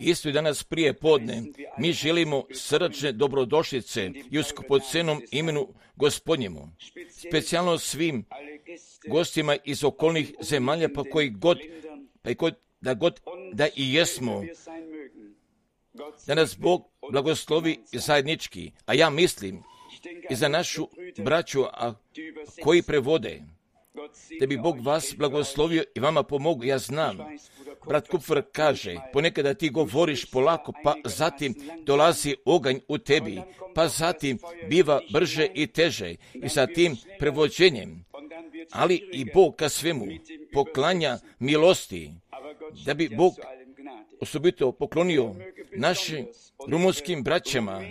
Isto i danas prije podne mi želimo srdačne dobrodošlice i u skupocenom imenu Gospodnjemu, specijalno svim gostima iz okolnih zemalja, pa koji god, da i jesmo, da nas Bog blagoslovi zajednički, a ja mislim i za našu braću koji prevode, da bi Bog vas blagoslovio i vama pomogao. Ja znam, brat Kupfer kaže, ponekada ti govoriš polako, pa zatim dolazi oganj u tebi, pa zatim biva brže i teže i sa tim prevođenjem, ali i Bog ka svemu poklanja milosti, da bi Bog osobito poklonio našim rumunskim braćama,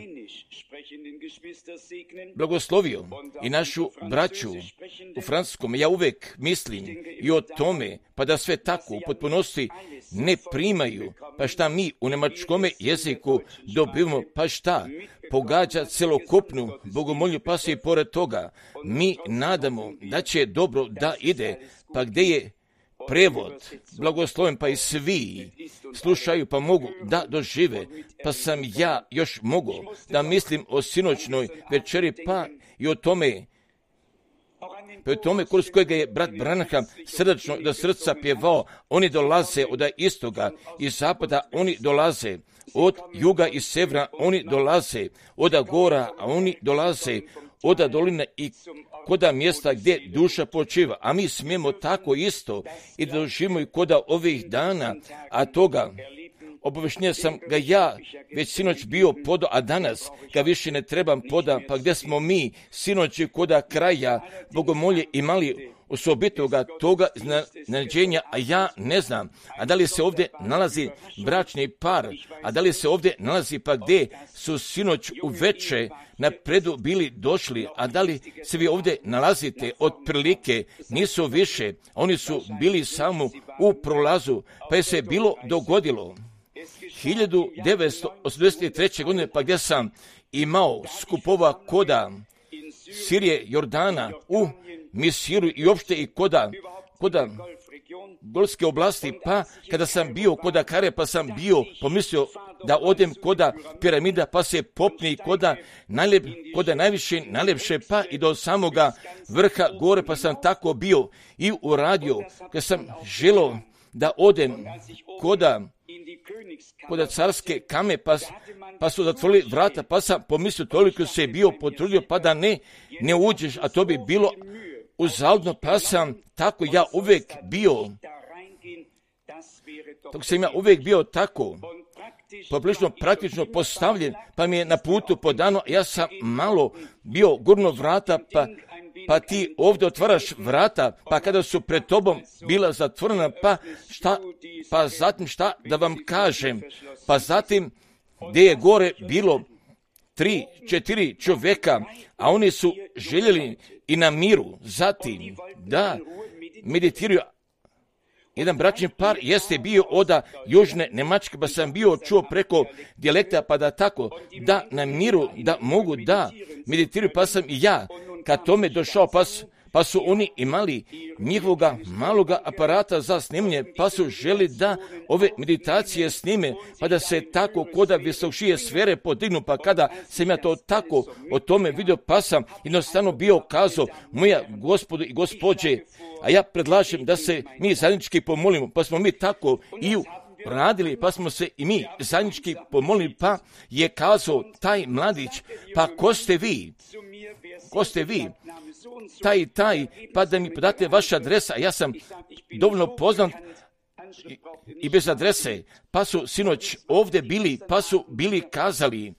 blagoslovio i našu braću u francuskom. Ja uvek mislim i o tome, pa da sve tako u potpunosti ne primaju, pa šta mi u nemačkome jeziku dobivamo, pa šta pogađa celokupnu bogomolju, pa se i pored toga mi nadamo da će dobro da ide, pa gde je prevod blagosloven, pa i svi slušaju, pa mogu da dožive, pa sam ja još mogu da mislim o sinoćnoj večeri, pa i o tome, kroz kojega je brat Branham srdačno do srca pjevao. Oni dolaze od istoga i zapada, oni dolaze od juga i severa, oni dolaze od gora, a oni dolaze od dolina i koda mjesta gdje duša počiva, a mi smijemo tako isto i da doživimo i koda ovih dana, a toga obaveštenja sam ga ja već sinoć bio podao, a danas ga više ne trebam poda, pa gdje smo mi sinoć koda kraja bogomolje imali osobitoga toga nađenja, a ja ne znam, a da li se ovdje nalazi bračni par, a da li se ovdje nalazi pa gdje su sinoć uveče napredu bili došli, a da li se vi ovdje nalazite otprilike, nisu više, oni su bili samo u prolazu, pa je se bilo dogodilo 1983. godine, pa gdje sam imao skupova koda Sirije, Jordana, u Misiru i uopšte i koda Golfske oblasti, pa kada sam bio koda Kare, pa sam bio pomislio da odem koda piramida, pa se popni koda najviše, najljepše, pa i do samoga vrha gore, pa sam tako bio i uradio, kada sam želio da odem koda carske kame, pa su zatvorili vrata, pa sam pomislio, toliko se bio potrudio, pa da ne uđeš, a to bi bilo uzaludno, pa sam tako ja uvek bio, tako poprilično praktično postavljen, pa mi je na putu podano, ja sam malo bio gurno vrata, pa ti ovdje otvaraš vrata, pa kada su pred tobom bila zatvorena, pa zatim šta da vam kažem, pa zatim gdje je gore bilo 3-4 čovjeka, a oni su željeli i na miru, zatim da meditiraju. Jedan bračni par jeste bio od južne Njemačke, pa sam bio čuo preko dijalekta, pa da tako, da na miru, da mogu da meditiraju, pa sam i ja kad tome došao, pa su oni imali njihovoga maloga aparata za snimanje, pa su želi da ove meditacije snime, pa da se tako koda visokšije sfere podignu, pa kada sam ja to tako o tome vidio, pa sam jednostavno bio kazao, moja gospodo i gospođe, a ja predlažem da se mi zajednički pomolimo, pa smo mi tako i radili, pa smo se i mi zajednički pomolili, pa je kazao taj mladić, pa ko ste vi? Taj, pa da mi podate vaša adresa, ja sam dovoljno poznat i bez adrese, pa su sinoć ovdje bili, pa su bili kazali,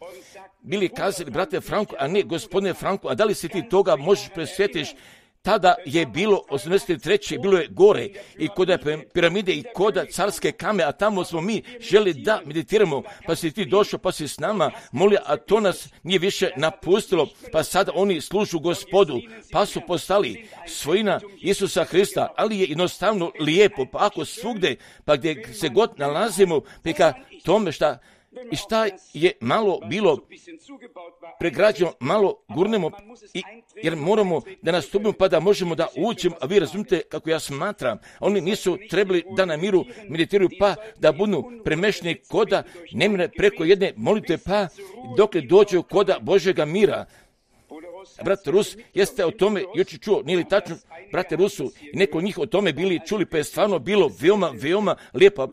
brate Franko, a ne gospodine Franko, a da li se ti toga možeš presjetiš? Tada je bilo 83. bilo je gore i kod piramide i kod carske kame, a tamo smo mi želi da meditiramo, pa si ti došao, pa si s nama molio, a to nas nije više napustilo, pa sada oni služu Gospodu, pa su postali svojina Isusa Hrista, ali je jednostavno lijepo, pa ako svugde, pa gdje se god nalazimo, pa ka tome šta I šta je malo bilo pregrađeno, malo gurnemo, jer moramo da nastupimo pa da možemo da uđemo, a vi razumite kako ja smatram, oni nisu trebali da na miru meditiraju pa da budu premešni koda nemire preko jedne molitve pa dok dođu koda Božjega mira. Brat Rus, jeste o tome jučer čuo, nije li tačno, brate Rusu, i neko od njih o tome bili čuli, pa je stvarno bilo veoma lijepo,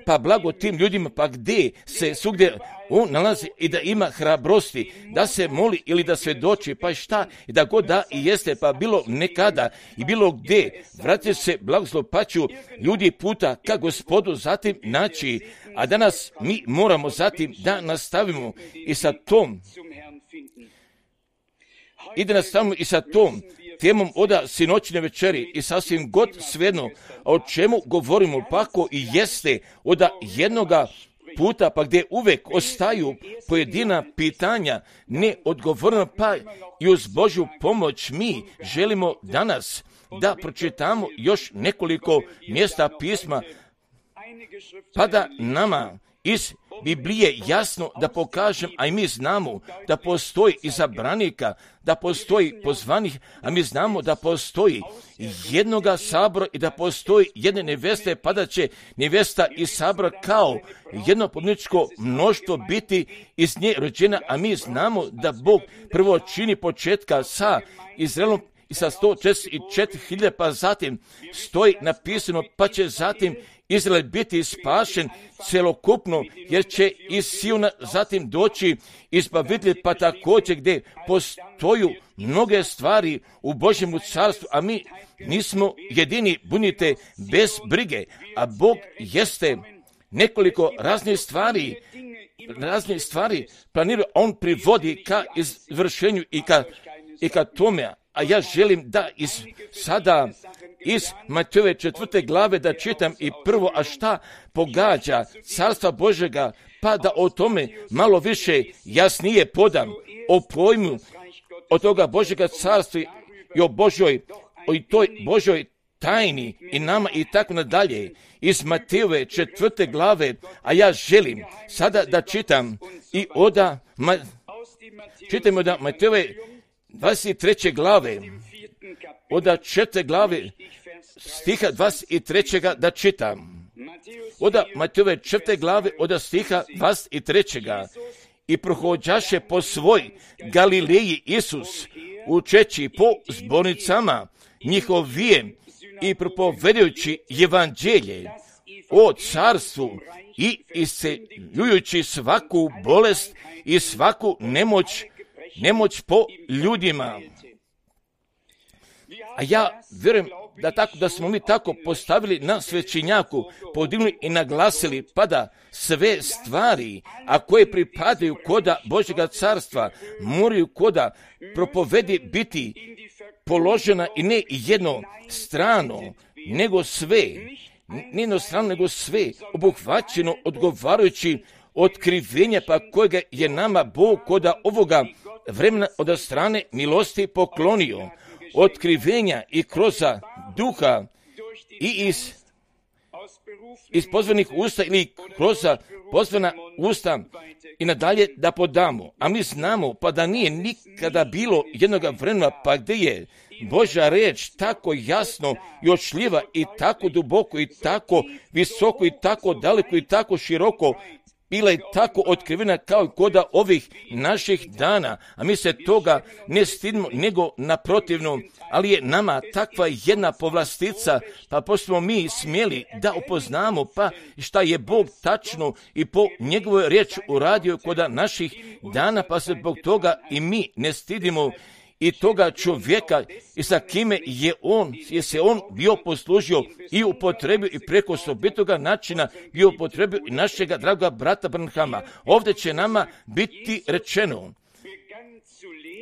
pa blago tim ljudima, pa gdje se svugdje on nalazi i da ima hrabrosti, da se moli ili da svjedoči, pa šta, i da god da i jeste, pa bilo nekada i bilo gdje, vratite se blagoslov, pa ću ljudi puta ka Gospodu zatim naći, a danas mi moramo zatim da nastavimo i sa tom i da nastavimo i sa tom temom oda sinoćne večeri i sasvim god svejedno o čemu govorimo, pa ako i jeste oda jednoga puta, pa gdje uvek ostaju pojedina pitanja neodgovorena, pa i uz Božju pomoć mi želimo danas da pročitamo još nekoliko mjesta pisma, pa da nama iz Biblije jasno da pokažem, a i mi znamo da postoji izabranika, da postoji pozvanih, a mi znamo da postoji jednoga sabora i da postoji jedne neveste, pa da će nevesta iz sabora kao jedno pobjedničko mnoštvo biti iz nje rođena, a mi znamo da Bog prvo čini početka sa Izraelom i sa 144.000, pa zatim stoji napisano, pa će zatim Izrael biti spašen celokupno, jer će iz Siona zatim doći izbavitelj, pa također gdje postoju mnoge stvari u Božjemu carstvu, a mi nismo jedini, budite bez brige, a Bog jeste nekoliko raznih stvari planira, on privodi ka izvršenju i ka tome, a ja želim da sada iz Matejove 4. glave da čitam i prvo, a šta pogađa carstva Božjega, pa da o tome malo više jasnije podam, o pojmu od toga Božjega carstva i o toj Božjoj tajni i nama i tako nadalje. Iz Matejove 4. glave, a ja želim sada da čitam i čitam od Matejove 23. glave, od 4. glave stiha 23. da čitam. Od Matejove 4. glave od stiha 23. I prohođaše po svoj Galileji Isus, učeći po zbornicama njihovijem i propovedajući evanđelje o carstvu i isceljujući svaku bolest i svaku nemoć po ljudima. A ja vjerujem da smo mi tako postavili na svećenjaku, podigli i naglasili, pa da sve stvari, a koje pripadaju koda Božjega carstva, moraju koda propovedi biti položena i ne jedno strano, nego sve obuhvaćeno odgovarajući otkrivenja, pa kojega je nama Bog koda ovoga vremena od strane milosti poklonio. Otkrivenja i kroz duha i iz pozvanih usta ili kroz pozvana usta i nadalje da podamo. A mi znamo pa da nije nikada bilo jednoga vremena pa gdje je Božja reč tako jasno i očljiva i tako duboko i tako visoko i tako daleko i tako široko bila je tako otkrivena kao i koda ovih naših dana, a mi se toga ne stidimo, nego naprotivno, ali je nama takva jedna povlastica, pa pošto mi smjeli da upoznamo, pa šta je Bog tačno i po njegovoj riječi uradio koda naših dana, pa se zbog toga i mi ne stidimo i toga čovjeka i sa kime je se on bio poslužio i upotrebio i preko osobitoga načina bio upotrebio i našega draga brata Branhama. Ovdje će nama biti rečeno,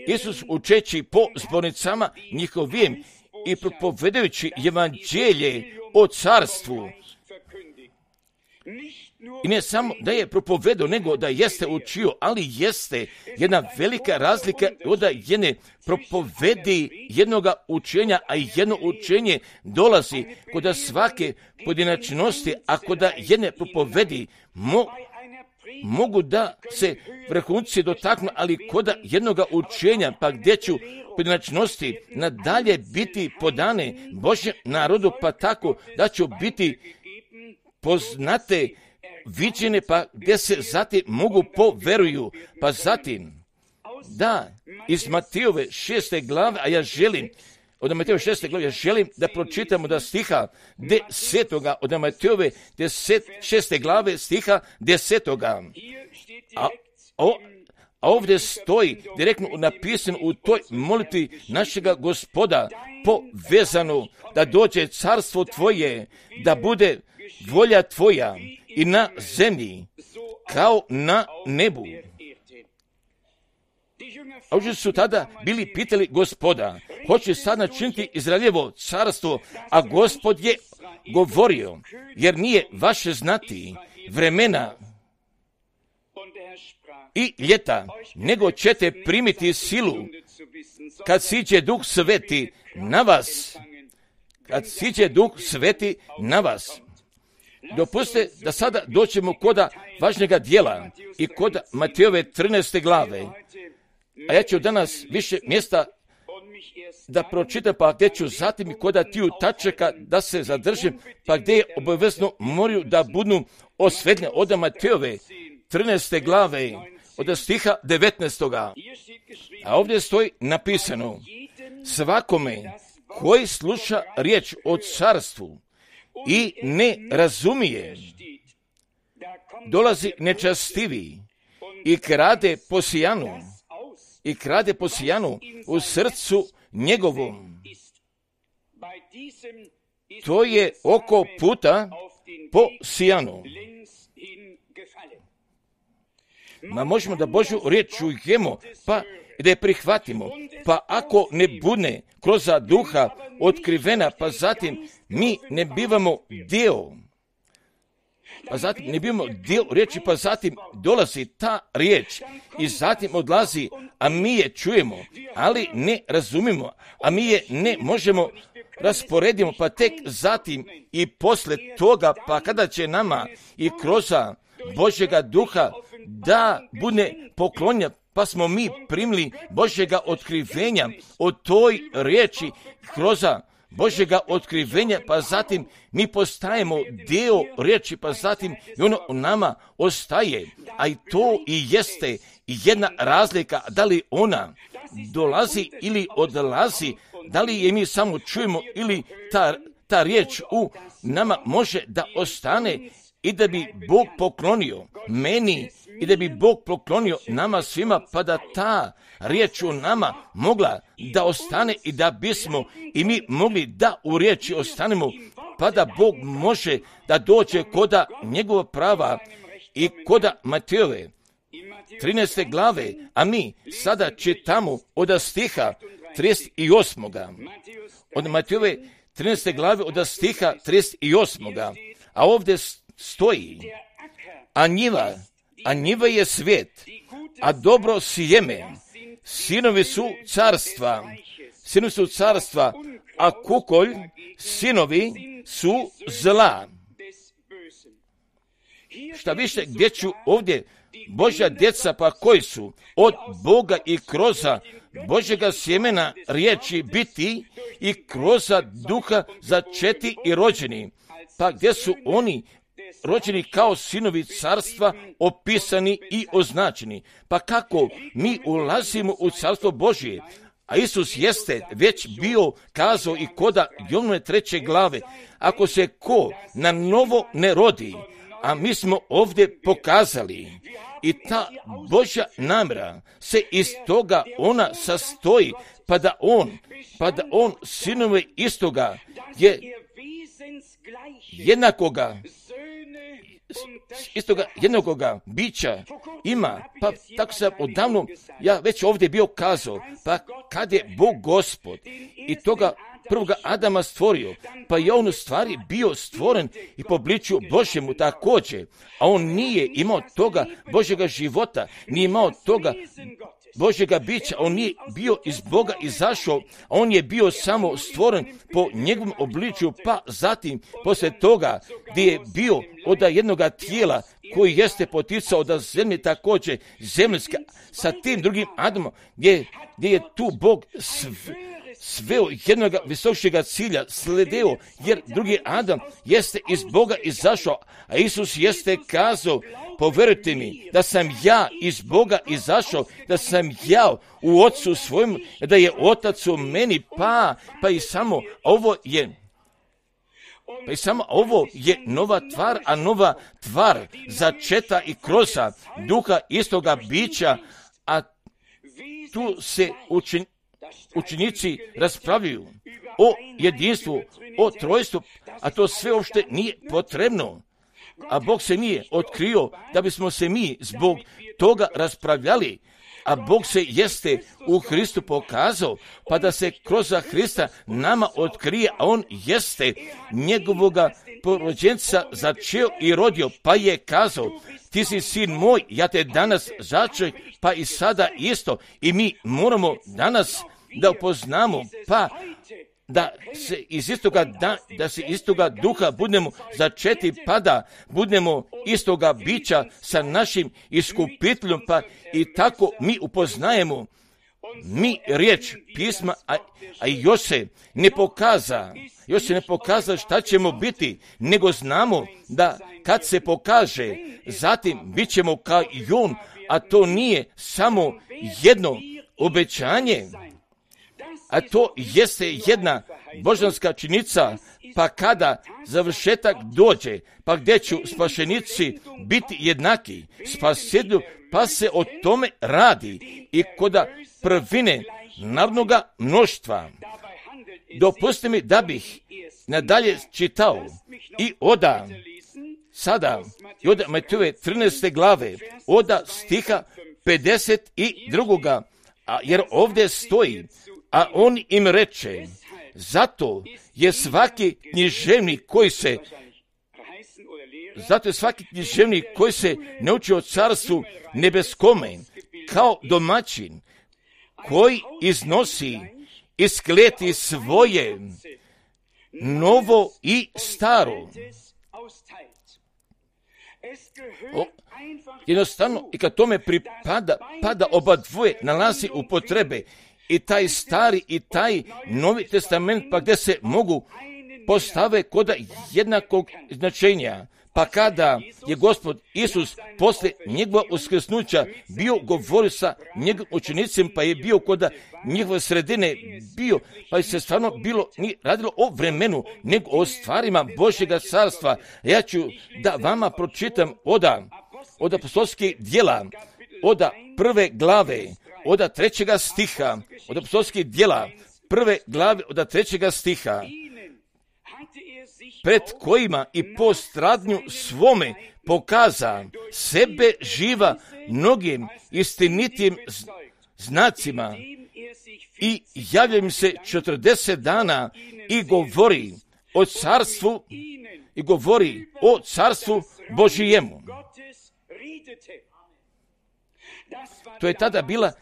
Isus učeći po zbornicama njihovim i propovedajući evanđelje o carstvu. I ne samo da je propovedao, nego da jeste učio, ali jeste jedna velika razlika od jedne propovedi jednoga učenja, a jedno učenje dolazi kod svake pojedinačnosti, a kod jedne propovedi mogu da se vrhunci dotaknu, ali kod jednoga učenja, pa gdje ću pojedinačnosti nadalje biti podane Božjem narodu, pa tako da ću biti poznate, viđene, pa gdje se zatim mogu poveruju. Pa zatim, da, iz Matejove 6. glave, a ja želim, od Matejove 6. glave, ja želim da pročitamo da stiha 10. od Matejove 6. glave stiha 10. A ovdje stoji direktno napisano u toj molitvi našega Gospoda povezano da dođe carstvo tvoje, da bude volja tvoja i na zemlji kao na nebu. A ovdje su tada bili pitali Gospoda, hoće sad načiniti Izraeljevo carstvo, a Gospod je govorio, jer nije vaše znati vremena i ljeta, nego ćete primiti silu kad siđe Duh Sveti na vas. Kad siđe Duh Sveti na vas. Dopustite da sada doćemo koda važnjega dijela i kod Matejove 13. glave. A ja ću danas više mjesta da pročitam, pa gdje ću zatim i koda tiju tačaka da se zadržim, pa gdje je obavezno moraju da budu osvetljene od Matejove 13. glave, od stiha 19. A ovdje stoji napisano, svakome koji sluša riječ o carstvu i ne razumije, dolazi nečastivi i krade po sijanu u srcu njegovom. To je oko puta po sijanu. Ma možemo da Božju riječ čujemo, pa da je prihvatimo, pa ako ne bude kroz duha otkrivena, pa zatim mi ne bivamo dio. Pa zatim ne bivamo dio riječi, pa zatim dolazi ta riječ i zatim odlazi, a mi je čujemo, ali ne razumimo, a mi je ne možemo rasporedimo, pa tek zatim i posle toga, pa kada će nama i kroz Božjega duha da bude poklonja, pa smo mi primili Božjega otkrivenja o toj riječi kroz Božjega otkrivenja, pa zatim mi postajemo dio riječi, pa zatim i ono u nama ostaje. A i to i jeste jedna razlika, da li ona dolazi ili odlazi, da li je mi samo čujemo ili ta riječ u nama može da ostane i da bi Bog poklonio meni i da bi Bog poklonio nama svima, pa da ta riječ u nama mogla da ostane i da bismo i mi mogli da u riječi ostanemo, pa da Bog može da dođe koda njegova prava i koda Matejove 13. glave, a mi sada čitamo od stiha 38. Od Matejove 13. glave od stiha 38. A ovdje stoji, a njiva je svijet, a dobro sjeme, sinovi su carstva, a kukolj, sinovi su zla. Šta više, gdje ću ovdje Božja djeca, pa koji su od Boga i kroz Božjega sjemena riječi biti i kroz duha začeti i rođeni, pa gdje su oni rođeni kao sinovi carstva, opisani i označeni. Pa kako mi ulazimo u carstvo Božje? A Isus jeste već bio kazao i koda Jovnove 3. glave, ako se ko na novo ne rodi, a mi smo ovdje pokazali, i ta Božja namjera se iz toga ona sastoji, pa da on sinove istoga je jednakoga bića ima, pa tako sam odavno, ja već ovdje bio kazao, pa kad je Bog Gospod i toga prvoga Adama stvorio, pa je on u stvari bio stvoren i po obličju Božjemu također, a on nije imao toga Božjega života, nije imao toga Božjega bića, on nije bio iz Boga izašao, on je bio samo stvoren po njegovom obličju, pa zatim poslije toga gdje je bio od jednoga tijela, koji jeste poticao da zemlje također zemljska sa tim drugim Adamom, gdje je tu Bog sveo jednoga visokšega cilja sledeo, jer drugi Adam jeste iz Boga izašao, a Isus jeste kazao, povjerujte mi da sam ja iz Boga izašao, da sam ja u Otcu svojemu, da je Otac u meni, pa i samo ovo je nova tvar, a nova tvar začeta i kroza duha istoga bića, a tu se učenici raspravljaju o jedinstvu, o trojstvu, a to sve uopšte nije potrebno. A Bog se nije otkrio da bismo se mi zbog toga raspravljali, a Bog se jeste u Hristu pokazao, pa da se kroz Hrista nama otkrije, a On jeste njegovoga porođenca začeo i rodio, pa je kazao, ti si sin moj, ja te danas začeo, pa i sada isto. I mi moramo danas da upoznamo, pa da se iz istoga duha budemo začeti, pa da budemo istoga bića sa našim iskupiteljom, pa i tako mi upoznajemo mi riječ pisma, a još se ne pokaza šta ćemo biti, nego znamo da kad se pokaže, zatim bit ćemo kao i on, a to nije samo jedno obećanje, a to jeste jedna božanska činjenica, pa kada završetak dođe, pa gdje će spašenici biti jednaki spasitelju, pa se o tome radi i koda prvine narodnoga mnoštva. Dopustite mi da bih nadalje čitao i od Matejove 13. glave, od stiha 52. Jer ovdje stoji, a on im reče, zato je svaki književnik koji se ne uči o carstvu nebeskome, kao domaćin, koji iznosi iz kleti svoje novo i staro. Jednostavno, i kad tome pada oba dvoje nalazi u potrebe, i taj stari i taj novi testament, pa gdje se mogu postave kod jednakog značenja. Pa kada je Gospod Isus poslije njegova uskrsnuća bio govorio sa njegovim učenicima, pa je bio kod njegove sredine bio, pa je se stvarno nije radilo o vremenu, nego o stvarima Božjega carstva. Ja ću da vama pročitam od apostolskih djela, od 1. glave, od 3. stiha, od apostolskih djela, 1. glave, od 3. stiha, pred kojima i po stradnju svome pokaza sebe živa mnogim istinitim znacima i javlja im se 40 dana i govori o carstvu Božijemu. To je tada bila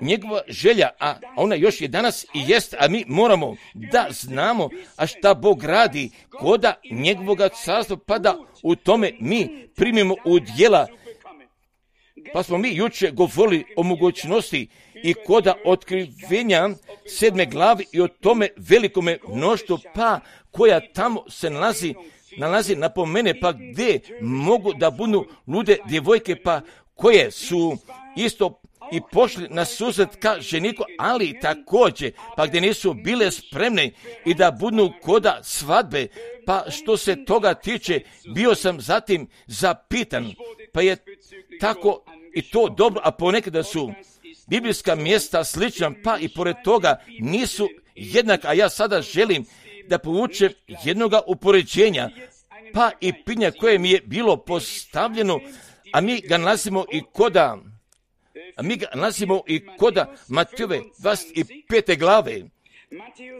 njegova želja, a ona još je danas i jest, a mi moramo da znamo, a šta Bog radi koda njegovoga carstva, pa da u tome mi primimo u djela. Pa smo mi juče govorili o mogućnosti i koda otkrivenja 7. glavi i o tome velikome mnoštvu, pa koja tamo se nalazi napomene, pa gdje mogu da budu lude djevojke, pa koje su isto i pošli na susret ka ženiku, ali također, pa gdje nisu bile spremne i da budu koda svadbe, pa što se toga tiče, bio sam zatim zapitan, pa je tako i to dobro, a ponekada su biblijska mjesta slična, pa i pored toga nisu jednaka, a ja sada želim da povučem jednoga upoređenja, pa i pitanja koje mi je bilo postavljeno, a mi ga nalazimo i koda Matejove 25. glave,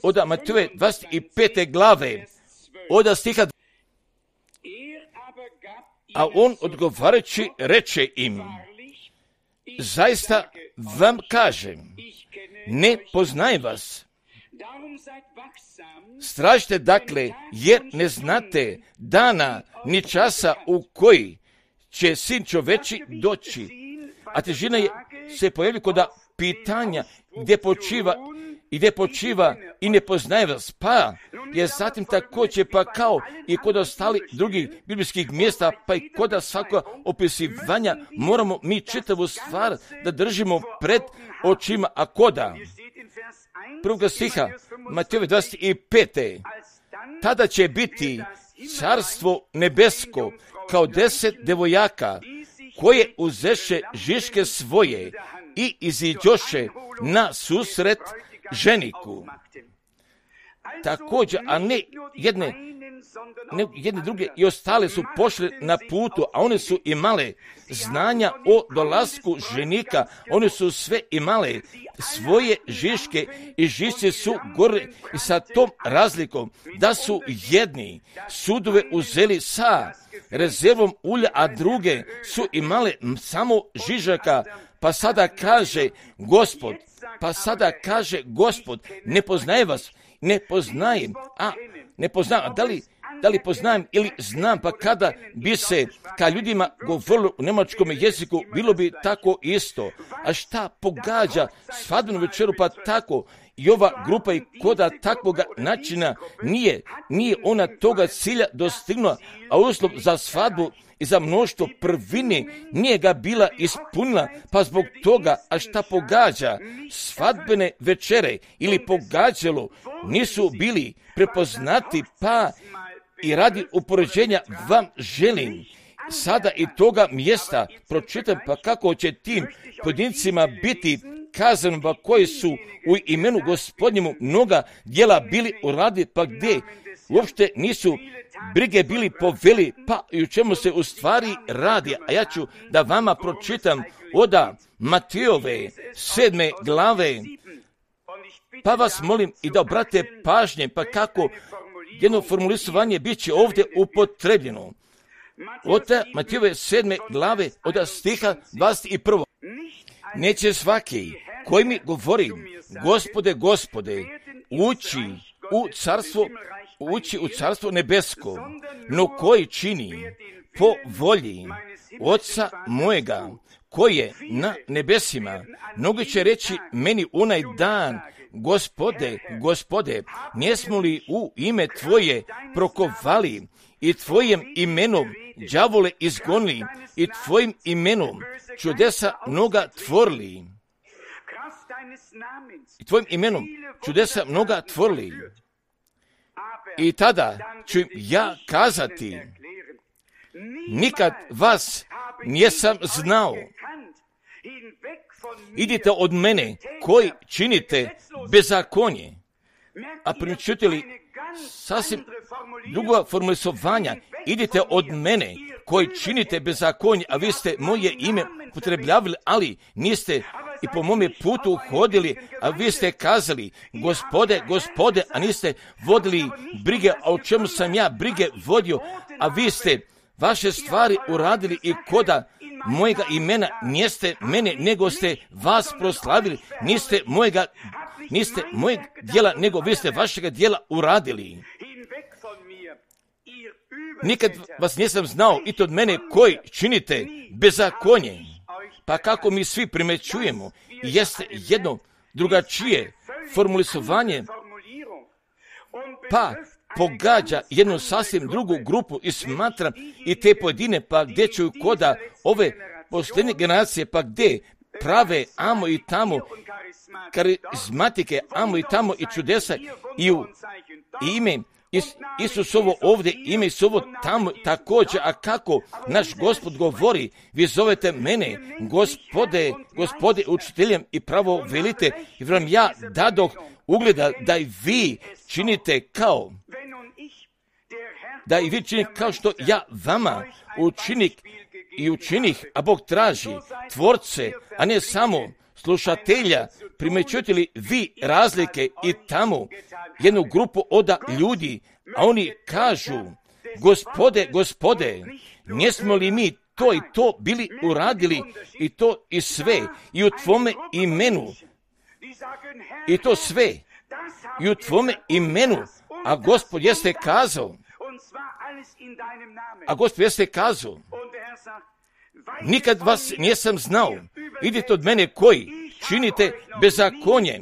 od Matejove 25. glave, od stiha, a on odgovarajući reče im, zaista vam kažem, ne poznajem vas. Stražite dakle, jer ne znate dana ni časa u koji će sin čoveči doći. A težina je se pojavi kod pitanja gdje počiva i ne poznaje vas, pa je zatim također pa kao i kod ostali drugih biblijskih mjesta, pa i kod svakog opisivanja moramo mi čitavu stvar da držimo pred očima, a koda prvog stiha Matejove 25. Tada će biti carstvo nebesko kao 10 devojaka koje uzeše žiške svoje i iziđoše na susret ženiku. Također, a ne jedne druge i ostale su pošle na putu, a one su imale znanja o dolasku ženika, one su sve imale svoje žiške i žišće su gore i sa tom razlikom da su jedni sudove uzeli sa rezervom ulja, a druge su imale samo žižaka, pa sada kaže Gospod, ne poznaje vas, ne poznajem, da li poznajem ili znam, pa kada bi se ka ljudima govorilo u njemačkom jeziku, bilo bi tako isto. A šta pogađa svadbenu večeru, pa tako i ova grupa i koda takvoga načina nije ona toga cilja dostignula, a uslov za svadbu i za mnoštvo prvine nije ga bila ispunila, pa zbog toga, a šta pogađa svadbene večere ili pogađalo, nisu bili prepoznati, pa i radi upoređenja vam želim sada i toga mjesta pročitam, pa kako će tim pojedincima biti kazano, pa koji su u imenu Gospodnjemu mnoga djela bili uradili, pa gdje uopšte nisu brige bili poveli, pa i u čemu se u stvari radi. A ja ću da vama pročitam od Matejove 7. glave, pa vas molim i da obratite pažnje, pa kako jedno formulisovanje bit će ovdje upotrebljeno. Od Matejove 7. glave, od stiha 21. Neće svaki koji mi govori, Gospode, Gospode, ući u carstvo nebesko, no koji čini po volji Oca mojega, koji je na nebesima. Mnogi će reći meni onaj dan, Gospode, Gospode, nismo li u ime Tvoje prokovali i Tvojim imenom đavole izgonili i Tvojim imenom čudesa mnoga tvorili. I Tvojim imenom čudesa mnoga tvorili. I tada ću im ja kazati, nikad vas nisam znao. Idite od mene koji činite bezakonje. A primijetili sasvim drugo formulisovanja. Idite od mene koji činite bezakonje, a vi ste moje ime upotrebljavali, ali niste i po mome putu hodili, a vi ste kazali, Gospode, Gospode, a niste vodili brige, a o čemu sam ja brige vodio, a vi ste vaše stvari uradili i koda mojega imena niste mene, nego ste vas proslavili, niste mojeg djela, nego vi ste vašega djela uradili. Nikad vas nisam znao i to od mene koji činite bezakonje. Pa kako mi svi primećujemo, jeste jedno drugačije formulisovanje, pa pogađa jednu sasvim drugu grupu i smatram i te pojedine, pa gdje ću koda ove posljednje generacije, pa gdje prave amo i tamo, karizmatike, amo i tamo i čudesa i u ime Isusovo ovdje, ime Isusovo tamo također, a kako naš Gospod govori, vi zovete mene, Gospode, Gospode, učiteljem i pravo velite, i vam ja dadoh ugleda da i vi činite kao, kao što ja vama učinih, a Bog traži tvorce, a ne samo slušatelja. Primećujete li vi razlike i tamo jednu grupu od ljudi, a oni kažu, Gospode, Gospode, nismo li mi to i to bili uradili i to i sve i u Tvome imenu i to sve i u Tvome imenu, a Gospod jeste kazao, nikad vas nisam znao. Idite od mene koji činite bezakonje.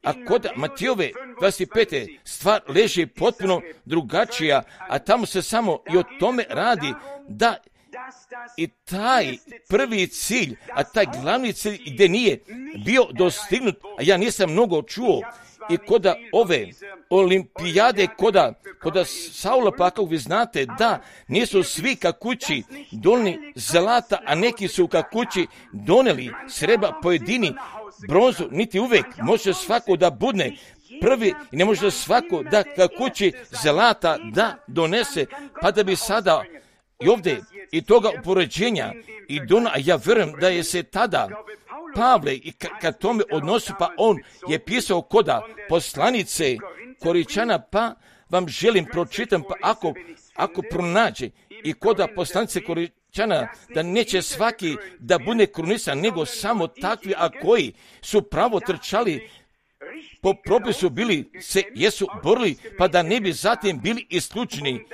A kod Matijove 25. stvar leži potpuno drugačija, a tamo se samo i o tome radi da i taj prvi cilj, a taj glavni cilj gdje nije bio dostignut, a ja nisam mnogo čuo, i koda ove olimpijade, koda Saula, pa kako vi znate, da nisu svi kakući donijeli zlata, a neki su kakući donijeli srebra, pojedini bronzu, niti uvek može svako da budne prvi i ne može svako da kakući zlata da donese, pa da bi sada i ovdje i toga upoređenja i a ja vjerujem da je se tada Pavle i kad tome odnosi, pa on je pisao koda poslanice Koričana, pa vam želim pročitam, pa ako pronađe i koda poslanice Koričana, da neće svaki da bude krunisan, nego samo takvi, a koji su pravo trčali po propisu, bili se jesu borili, pa da ne bi zatim bili isključeni.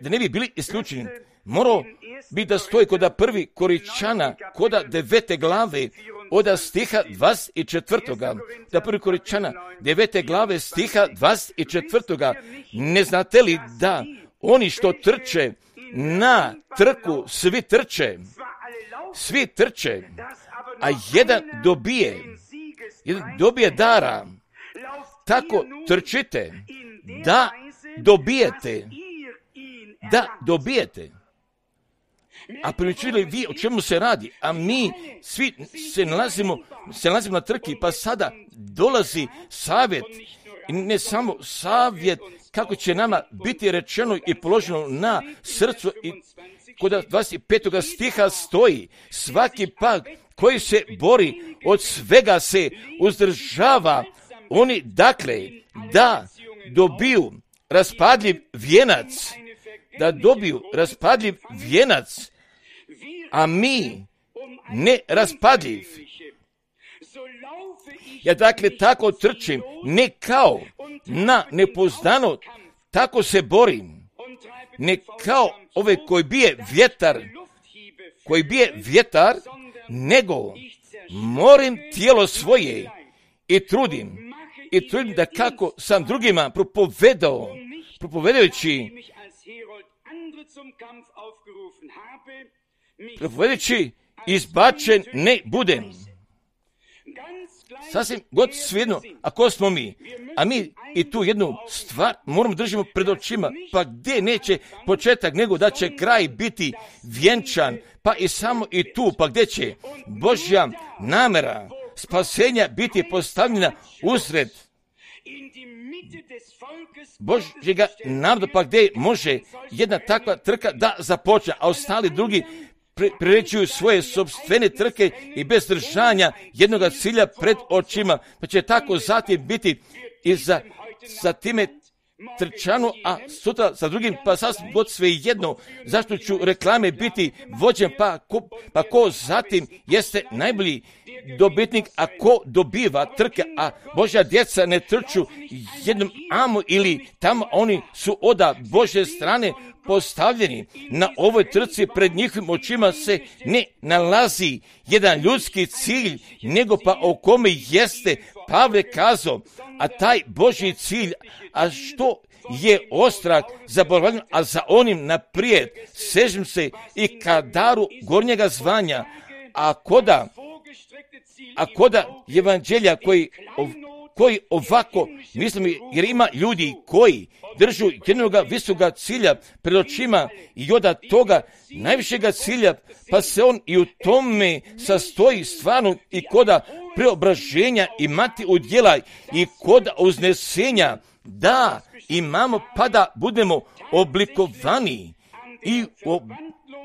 Da ne bi bili isključeni. Morao bi da stoji koda prvi Koričana, koda 9. glave, od stiha 24. Da prvi Koričana 9. glave stiha 24. Ne znate li da oni što trče na trku, svi trče, a jedan dobije dara. Tako trčite da dobijete. A pričali vi o čemu se radi, a mi svi se nalazimo na trki, pa sada dolazi savjet, i ne samo savjet kako će nama biti rečeno i položeno na srcu, i kod 25. stiha stoji, svaki pak koji se bori od svega se uzdržava, oni dakle da dobiju raspadljiv vijenac, a mi ne raspadljiv. Ja dakle tako trčim, ne kao na nepoznano, tako se borim, ne kao ove koji bije vjetar, nego morim tijelo svoje i trudim da kako sam drugima propovedajući izbačen ne budem. Sasvim god svejedno, ako smo mi, a mi i tu jednu stvar moramo držimo pred očima, pa gdje neće početak, nego da će kraj biti vjenčan, pa i samo i tu, pa gdje će Božja namjera spasenja biti postavljena usred Božjega naroda, pa gdje može jedna takva trka da započne, a ostali drugi priređuju svoje sopstvene trke i bez držanja jednoga cilja pred očima, pa će tako zatim biti i za time trčanu, a sutra za drugim, pa sasvim god sve jedno, zašto ću reklame biti vođen, pa ko zatim jeste najbolji dobitnik, a ko dobiva trke, a Božja djeca ne trču jednom amo ili tamo, oni su od Božje strane postavljeni. Na ovoj trci pred njihovim očima se ne nalazi jedan ljudski cilj, nego pa o kome jeste Pavle kazao, a taj Božji cilj, a što je ostrak zaboravljen, a za onim naprijed sežem se i ka daru gornjega zvanja, a koda evanđelja koji ovako, mislim, jer ima ljudi koji držu jednoga visoka cilja pred očima i od toga najvišega cilja, pa se on i u tome sastoji stvarno i koda preobraženja imati u djela i koda uznesenja, da imamo pa da budemo oblikovani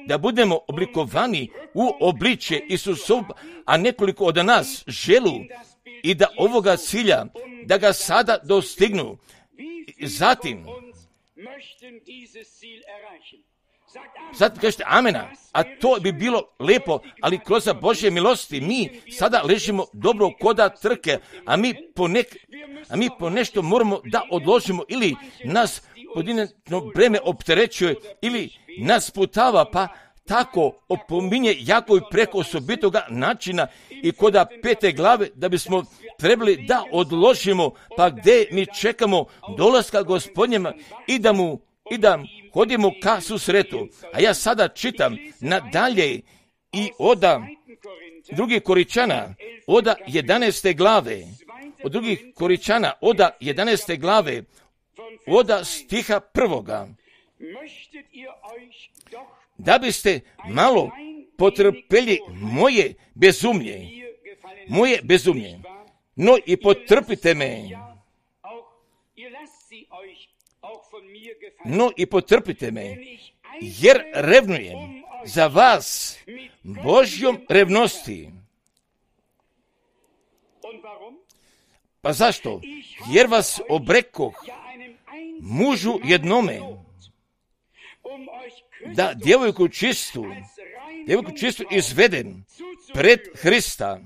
da budemo oblikovani u obličje Isusov, a nekoliko od nas želu i da ovoga cilja, da ga sada dostignu. Zatim, Sad kažete amena, a to bi bilo lijepo, ali kroz Božje milosti mi sada ležimo dobro koda trke, a mi po nešto moramo da odložimo ili nas pojedinačno breme opterećuje ili nas putava, pa tako opominje jako i preko osobitoga načina i koda 5. glave da bismo trebali da odložimo, pa gdje mi čekamo dolaska Gospodnjema i da hodimo ka susretu. A ja sada čitam nadalje i oda 2. Koričana, oda 11. glave, od 2. Koričana, oda 11. glave, oda stiha 1. Da biste malo potrpeli moje bezumlje, no i potrpite me, jer revnujem za vas Božjom revnosti. Pa zašto? Jer vas obrekoh mužu jednome, da djevojku čistu izvedem pred Hrista.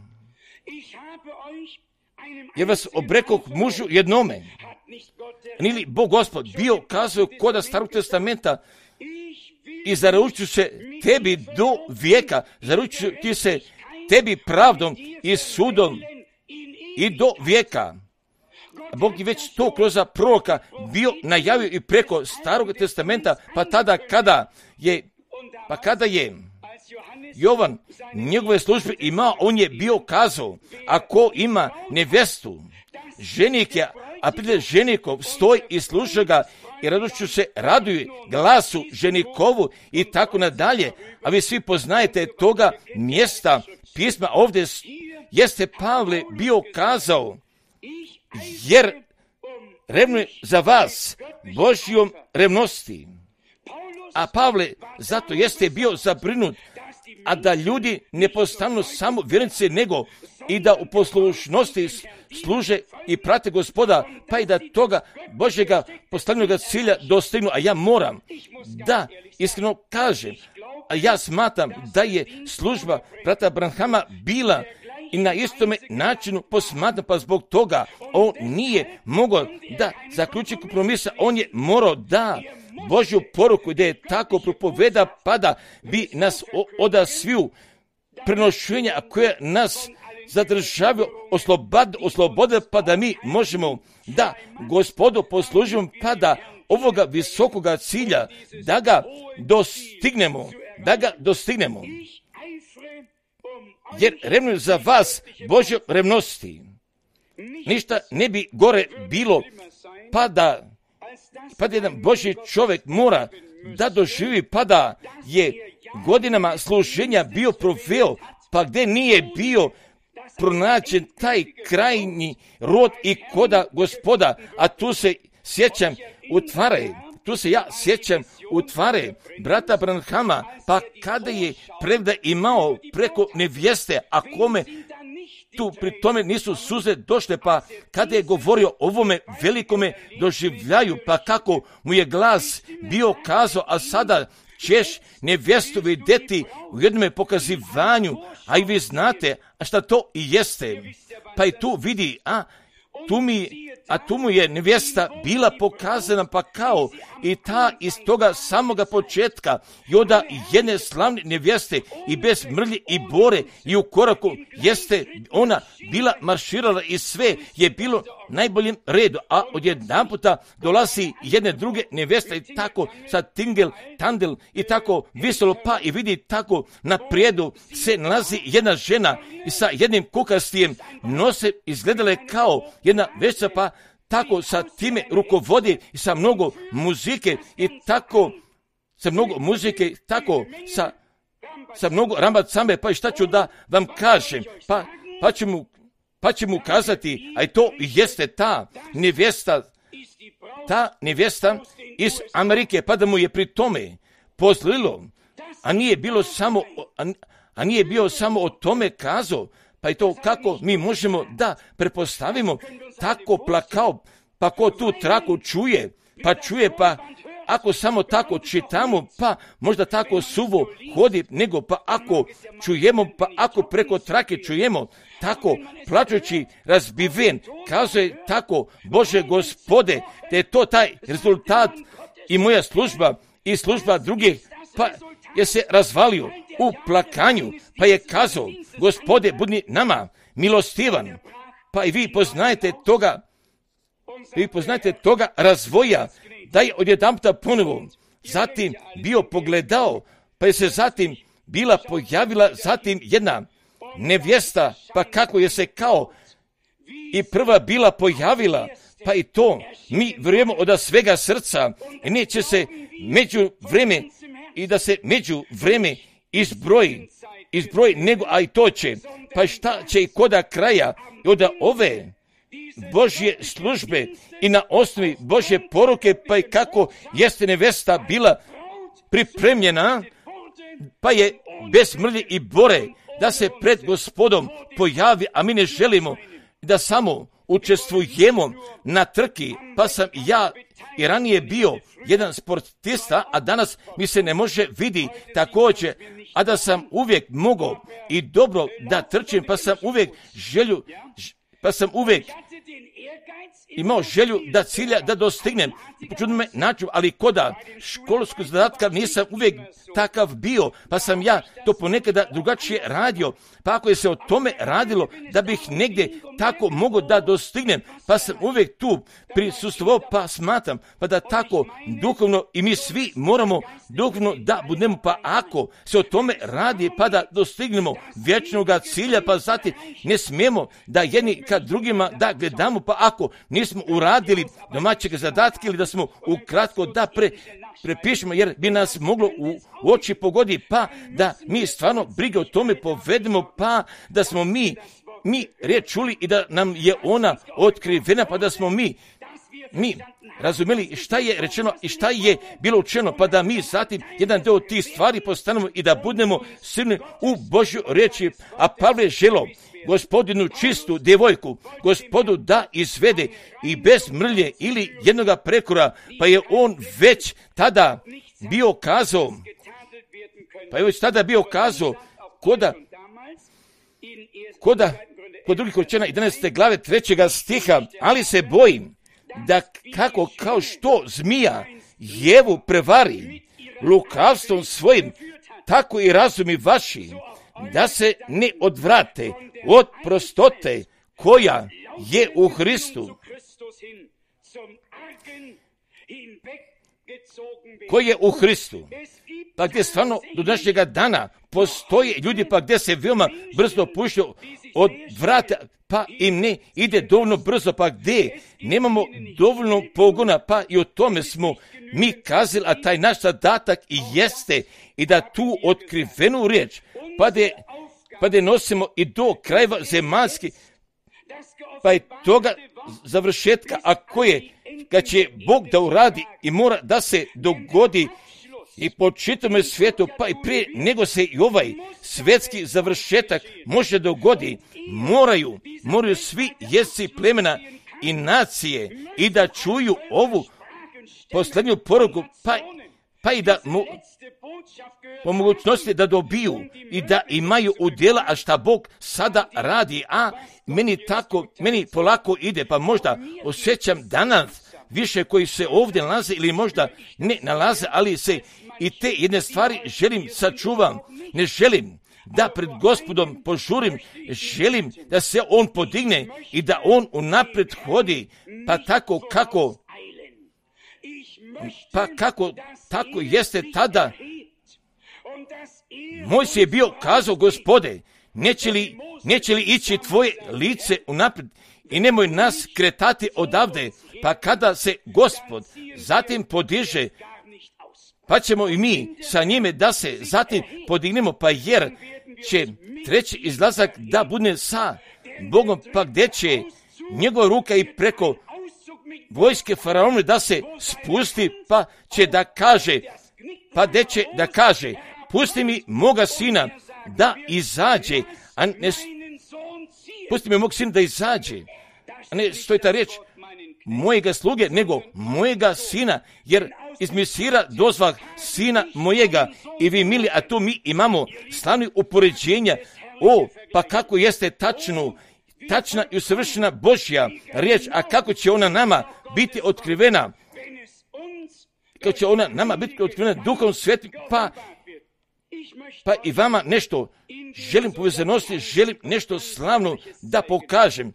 Jer vas obrekoh mužu jednome. Nije li Bog Gospod bio kazao koda Starog testamenta i zaručuju se tebi do vijeka, zaručuju ti se tebi pravdom i sudom i do vijeka. Bog je već to kroz proroka bio najavio i preko Starog testamenta, pa tada kada je Jovan njegove službe imao, on je bio kazao, ako ima nevjestu, ženik je, a prije ženikov stoji i sluša ga i radošću se raduje glasu ženikovu i tako nadalje. A vi svi poznajete toga mjesta pisma, ovdje jeste Pavle bio kazao, jer revnuje za vas Božjom revnosti. A Pavle zato jeste bio zabrinut, a da ljudi ne postanu samo vjernici, nego i da u poslušnosti služe i prate Gospoda, pa i da toga Božjega postavljenog cilja dostignu. A ja moram da iskreno kažem, a ja smatram da je služba brata Branhama bila i na istome načinu posmatram, pa zbog toga on nije mogao da zaključi kompromisa, on je morao da Božju poruku gdje je tako propoveda, pa da bi nas oda sviju prenošenja koje nas zadržavaju oslobode, pa da mi možemo da Gospodu poslužimo, pa da ovoga visokoga cilja da ga dostignemo. Jer revnujem za vas Božjom revnosti. Ništa ne bi gore bilo, pa da jedan Božji čovjek mora da doživi, pa da je godinama služenja bio proveo, pa gdje nije bio pronađen taj krajnji rod i koda Gospoda, a tu se sjećam utvare brata Branhama, pa kada je prevda imao preko nevjeste, a kome tu pri tome nisu suze došle, pa kada je govorio o ovome velikome doživljaju, pa kako mu je glas bio kazao, a sada ćeš nevjestu vidjeti u jednom pokazivanju, a i vi znate, a šta to i jeste. Pa i tu vidi, tu mu je nevjesta bila pokazana, pa kao i ta iz toga samoga početka i onda jedne slavne nevjeste i bez mrlje i bore i u koraku jeste ona bila marširala i sve je bilo najboljem redu, a odjedanputa dolazi jedne druge nevjeste i tako sa tandel i tako viselo, pa i vidi tako na prijedu se nalazi jedna žena i sa jednim kukastijem nose izgledale kao jedna veća, pa tako sa time rukovodi i sa mnogo muzike i tako sa mnogo muzike, tako sa mnogo rambacambe, pa i šta ću da vam kažem, pa će mu kazati, a i to jeste ta iz Amerike, pa da mu je pri tome pozlilo, a nije bio samo o tome kazao, pa i to kako mi možemo da prepostavimo, tako plakao, pa ko tu traku čuje, pa ako samo tako čitamo, pa možda tako suvo hodi, nego pa ako čujemo, pa ako preko trake čujemo, tako plačući razbiven, kazuje tako, Bože Gospode, da je to taj rezultat i moja služba i služba drugih, pa je se razvalio u plakanju, pa je kazao, Gospode, budi nama milostivan, pa i vi poznajete toga razvoja, da je odjedanputa ponovo zatim bio pogledao, pa je se zatim bila pojavila zatim jedna nevjesta, pa kako je se kao i prva bila pojavila, pa i to mi vjerujemo od svega srca i neće se među vreme i da se među vreme izbroji nego, a i to će, pa šta će i koda kraja od ove Božje službe i na osnovi Božje poruke, pa i kako jeste nevesta bila pripremljena, pa je bez mrlje i bore da se pred Gospodom pojavi, a mi ne želimo da samo učestvujemo na trki, pa sam ja i ranije bio jedan sportista, a danas mi se ne može vidi također, a da sam uvijek mogao i dobro da trčim, pa sam uvijek imao želju da cilja da dostignem. Počudno me naču, ali koda školskog zadatka nisam uvijek takav bio, pa sam ja to ponekada drugačije radio. Pa ako je se o tome radilo da bih negdje tako mogao da dostignem, pa sam uvijek tu prisustvovao, pa smatram, pa da tako duhovno i mi svi moramo duhovno da budemo, pa ako se o tome radi, pa da dostignemo vječnog cilja, pa zatim ne smijemo da jedni kad drugima da gledamo, pa ako nismo uradili domaćeg zadatka ili da smo ukratko da prepišemo, jer bi nas moglo u oči pogodi, pa da mi stvarno brige o tome povedemo, pa da smo mi riječ čuli i da nam je ona otkrivena, pa da smo mi razumjeli šta je rečeno i šta je bilo učeno, pa da mi zatim jedan dio tih stvari postanemo i da budemo silni u Božju riječi. A Pavle želo Gospodinu čistu djevojku, Gospodu da izvede i bez mrlje ili jednoga prekora, pa je on već tada bio kazao, kod drugih Korinćana 11. glave 3. stiha, ali se bojim da kao što zmija Jevu prevari lukavstvom svojim, tako i razumi vaši, da se ne odvrate od prostote koja je u Hristu. Pa gdje stvarno do današnjega dana postoje ljudi, pa gdje se veoma brzo puštaju od vrata, pa im ne ide dovoljno brzo, pa gdje nemamo dovoljno pogona, pa i o tome smo mi kazali, a taj naš zadatak i jeste i da tu otkrivenu riječ, pa da nosimo i do krajeva zemaljski, pa i toga završetka, a koje kad će Bog da uradi i mora da se dogodi i po čitome svijetu, pa i prije nego se i ovaj svjetski završetak može dogodi, moraju svi jezici plemena i nacije i da čuju ovu posljednju poruku, pa i da po mogućnosti da dobiju i da imaju udjela, a šta Bog sada radi, a meni polako ide, pa možda osjećam danas više koji se ovdje nalaze ili možda ne nalaze, ali se i te jedne stvari želim sačuvam, ne želim da pred Gospodom požurim, želim da se on podigne i da on unaprijed hodi, pa tako jeste tada. Mojsije je bio kazao, Gospode, neće li ići tvoje lice unaprijed i nemoj nas kretati odavde, pa kada se Gospod zatim podiže, pa ćemo i mi sa njime da se zatim podignemo, pa jer će treći izlazak da bude sa Bogom, pa gdje će njegova ruka i preko vojske faraona da se spusti, pa će da kaže, pusti mi moga sina da izađe, pusti mi mog sina da izađe, a ne stoji ta riječ, mojega sluge, nego mojega sina, jer iz Mesira dozvah sina mojega. I vi mili, a tu mi imamo slavni upoređenja. Pa kako jeste tačna i usavršena Božja riječ, a kako će ona nama biti otkrivena? Kako će ona nama biti otkrivena Duhom Svetim, pa i vama nešto želim povezanosti, želim nešto slavno da pokažem.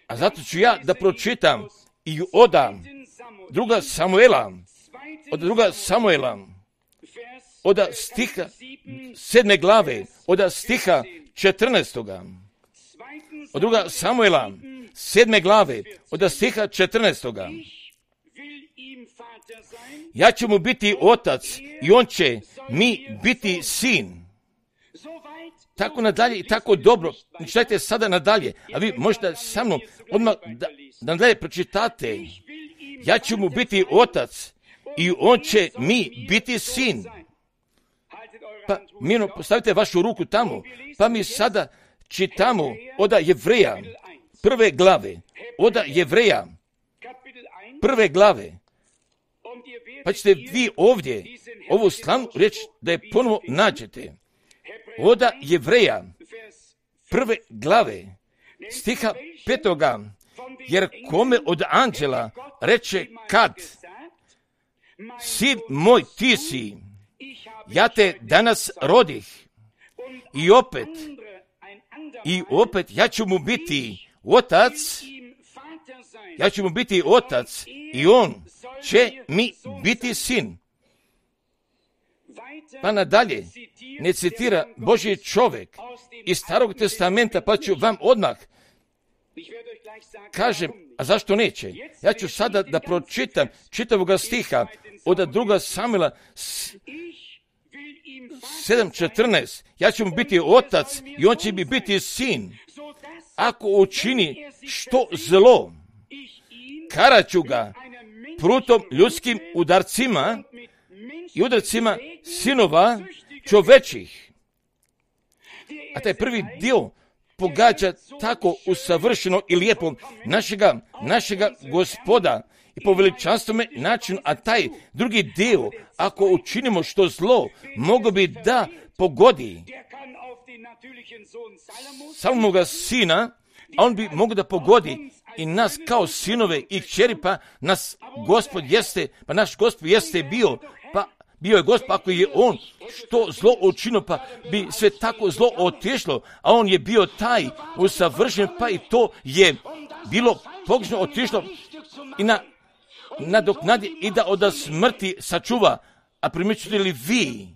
A zato ću ja da pročitam i od druga Samuela, od stiha 7. glave, od stiha 14. Od druga Samuela 7. glave, od stiha 14. Ja ću mu biti otac i on će mi biti sin. Tako nadalje i tako dobro. Čitajte sada nadalje, a vi možete sa mnom odmah da nadalje pročitate. Ja ću mu biti otac i on će mi biti sin. Pa mirno postavite vašu ruku tamo, pa mi sada čitamo od Jevreja prve glave, od Jevreja prve glave. Pa ćete vi ovdje ovu slavnu riječ da je ponovo nađete. Od Jevreja prve glave stiha 5. Jer kome od anđela reče kad sin moj ti si, ja te danas rodih i opet ja ću mu biti otac i on će mi biti sin. Pa nadalje ne citira Božji čovjek iz Starog testamenta, pa ću vam odmah kažem, a zašto neće? Ja ću sada da pročitam čitavoga stiha od 2. Samuela 7.14. Ja ću mu biti otac i on će mi biti sin. Ako učini što zlo, karaću ga prutom ljudskim udarcima i udarcima sinova čovečih. A taj prvi dio pogađa tako usavršeno i lijepo našega Gospoda i po veličanstvome načinu, a taj drugi dio, ako učinimo što zlo, mogo bi da pogodi samoga sina, a on bi mogao da pogodi i nas kao sinove i kćeri, pa naš Gospod jeste bio je Gospod, ako je on što zlo učinio, pa bi sve tako zlo otišlo, a on je bio taj usavršen, pa i to je bilo pogrešno otišlo i nadoknadi i da od smrti sačuva. A primjećujete li vi,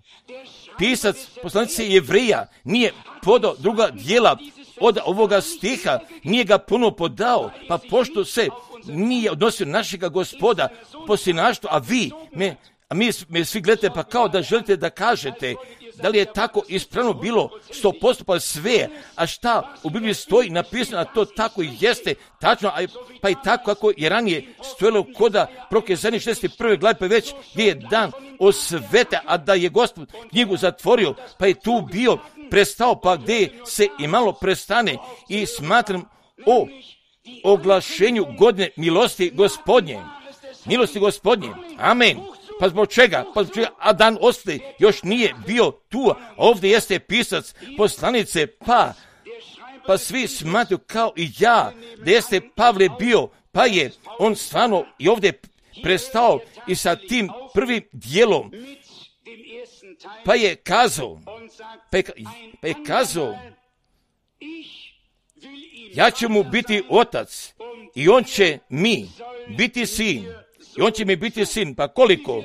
pisac poslanice Jevreja nije podao druga dijela od ovoga stiha, nije ga puno podao, pa pošto se nije odnosio našega Gospoda po sinaštvu, a mi me svi gledate pa kao da želite da kažete da li je tako ispravno bilo 100%, pa sve, a šta u Bibliji stoji napisano, a to tako i jeste tačno, pa i tako kako je ranije stojilo koda Prokazanje 61. glave, pa već gdje je dan osvete, a da je Gospod knjigu zatvorio, pa je tu bio prestao, pa gdje se i malo prestane i smatram o oglašenju godine milosti Gospodnje. Amen. Pa zbog čega? A dan ostaje, još nije bio tu, a ovdje jeste pisac poslanice, pa svi smatruju kao i ja, da jeste Pavle bio, pa je on stvarno i ovdje prestao i sa tim prvim dijelom, pa je kazao, ja ću mu biti otac i on će mi biti sin. Pa koliko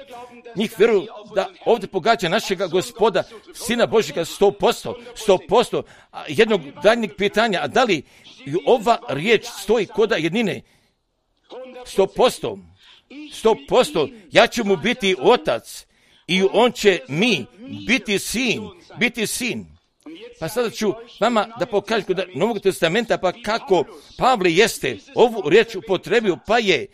njih vjeruju da ovdje pogađa našega Gospoda, Sina Božjega 100%. A jednog daljnjeg pitanja, a da li ova riječ stoji koda jednine? 100%. Ja ću mu biti otac i on će mi biti sin. Pa sada ću vama da pokažem kod Novog testamenta, pa kako Pavle jeste ovu riječ upotrebio, pa je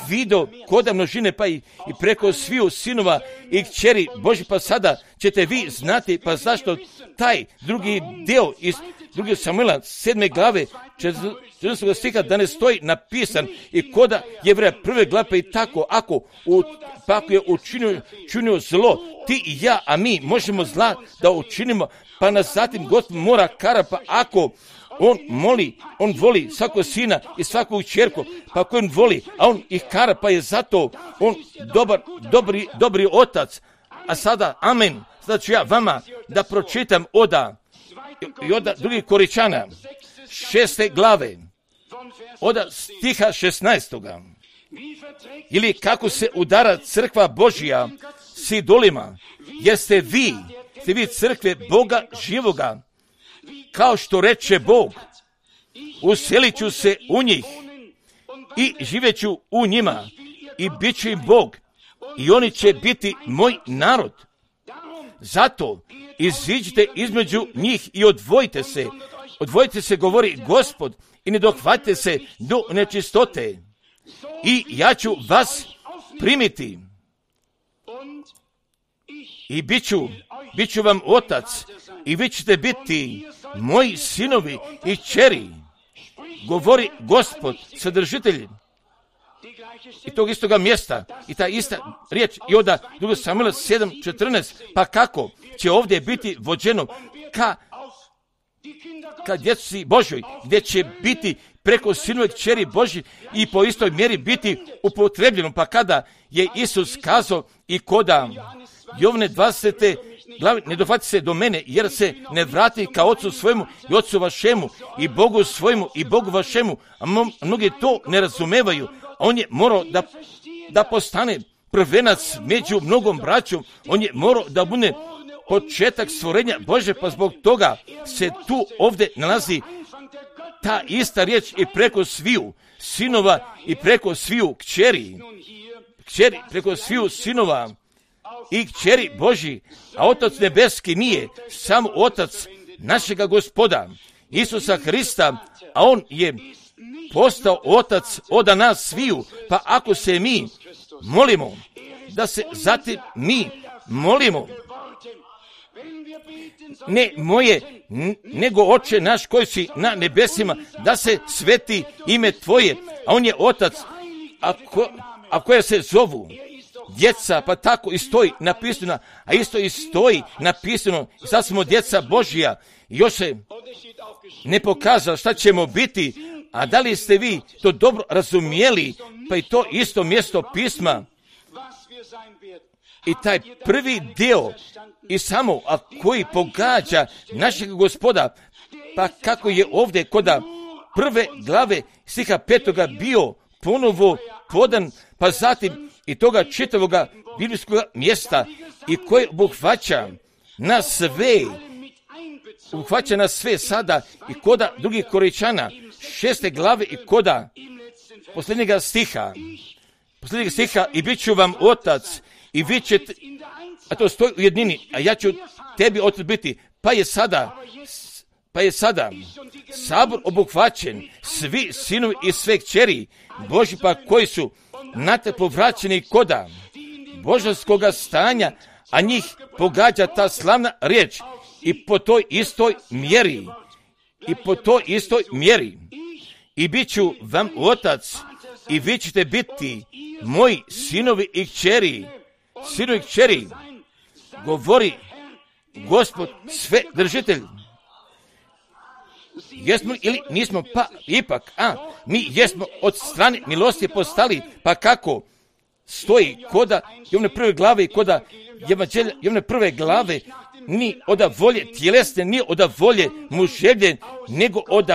vidio koda množine, pa i preko sviju sinova i kćeri Božji, pa sada ćete vi znati, pa zašto taj drugi dio iz 2. Samuela 7. glave 14. stiha da ne stoji napisan i koda Jevreja 1. glave i tako, ako je učinio zlo, ti i ja, a mi možemo zla da učinimo, pa nas zatim Gospod mora kara, pa ako on voli svakog sina i svakog ćerku, pa ako on voli, a on ih kara, pa je zato on dobri otac. A sada, amen, sada ću ja vama da pročitam od 2. Korinčana 6. glave, od stiha 16. Ili kako se udara crkva Božija s idolima, jer ste vi crkve Boga živoga, kao što reče Bog, uselit ću se u njih i živeću u njima i bit ću im Bog i oni će biti moj narod. Zato iziđite između njih i odvojite se, govori Gospod, i ne dohvatite se do nečistote i ja ću vas primiti i bit ću vam otac i vi ćete biti moji sinovi i kćeri, govori Gospod, sadržitelj i tog istoga mjesta i ta ista riječ i od 2. Samuela 7.14, pa kako će ovdje biti vođeno ka djeci Božoj, gdje će biti preko sinove kćeri Božji i po istoj mjeri biti upotrebljeno, pa kada je Isus kazao i koda Jovne 20. glave, ne dohvati se do mene, jer se ne vrati ka ocu svojemu i ocu vašemu i Bogu svojemu i Bogu vašemu, a mnogi to ne razumevaju, a on je morao da postane prvenac među mnogom braćom, on je morao da bude početak stvorenja Bože, pa zbog toga se tu ovdje nalazi ta ista riječ i preko sviju sinova i preko sviju kćeri preko sviju sinova i kćeri Božji, a Otac nebeski nije samo Otac našega Gospoda Isusa Hrista, a on je postao Otac od nas sviju, pa ako se mi molimo, da se zatim mi molimo, ne moje, nego Oče naš koji si na nebesima, da se sveti ime Tvoje, a on je Otac, a koja se zovu djeca, pa tako i stoji napisano, a isto i stoji napisano, sad smo djeca Božja, još se ne pokazalo šta ćemo biti, a da li ste vi to dobro razumijeli, pa i to isto mjesto pisma i taj prvi dio i samo, a koji pogađa našeg Gospoda, pa kako je ovdje koda 1. glave stiha 5. bio ponovo podan, pa zatim i toga čitavoga biblijskog mjesta i koje obuhvaća na sve sada i koda 2. Korinčana 6. glave i koda posljednjega stiha i bit ću vam otac i vi ćete, a to stoji u jednini, a ja ću tebi otac biti, pa je sada sabor obuhvaćen, svi sinovi i sve kćeri Božji, pa koji su na te povraćeni koda božanskoga stanja, a njih pogađa ta slavna riječ i po toj istoj mjeri i bit ću vam otac i vi ćete biti moji sinovi i kćeri, govori Gospod sve držitelj. Jesmo ili nismo, pa ipak, mi jesmo od strane milosti postali, pa kako stoji koda Jovne 1. glave i koda Evanđelja Jovne 1. glave, ni od volje tjelesne, ni od volje muževlje, nego od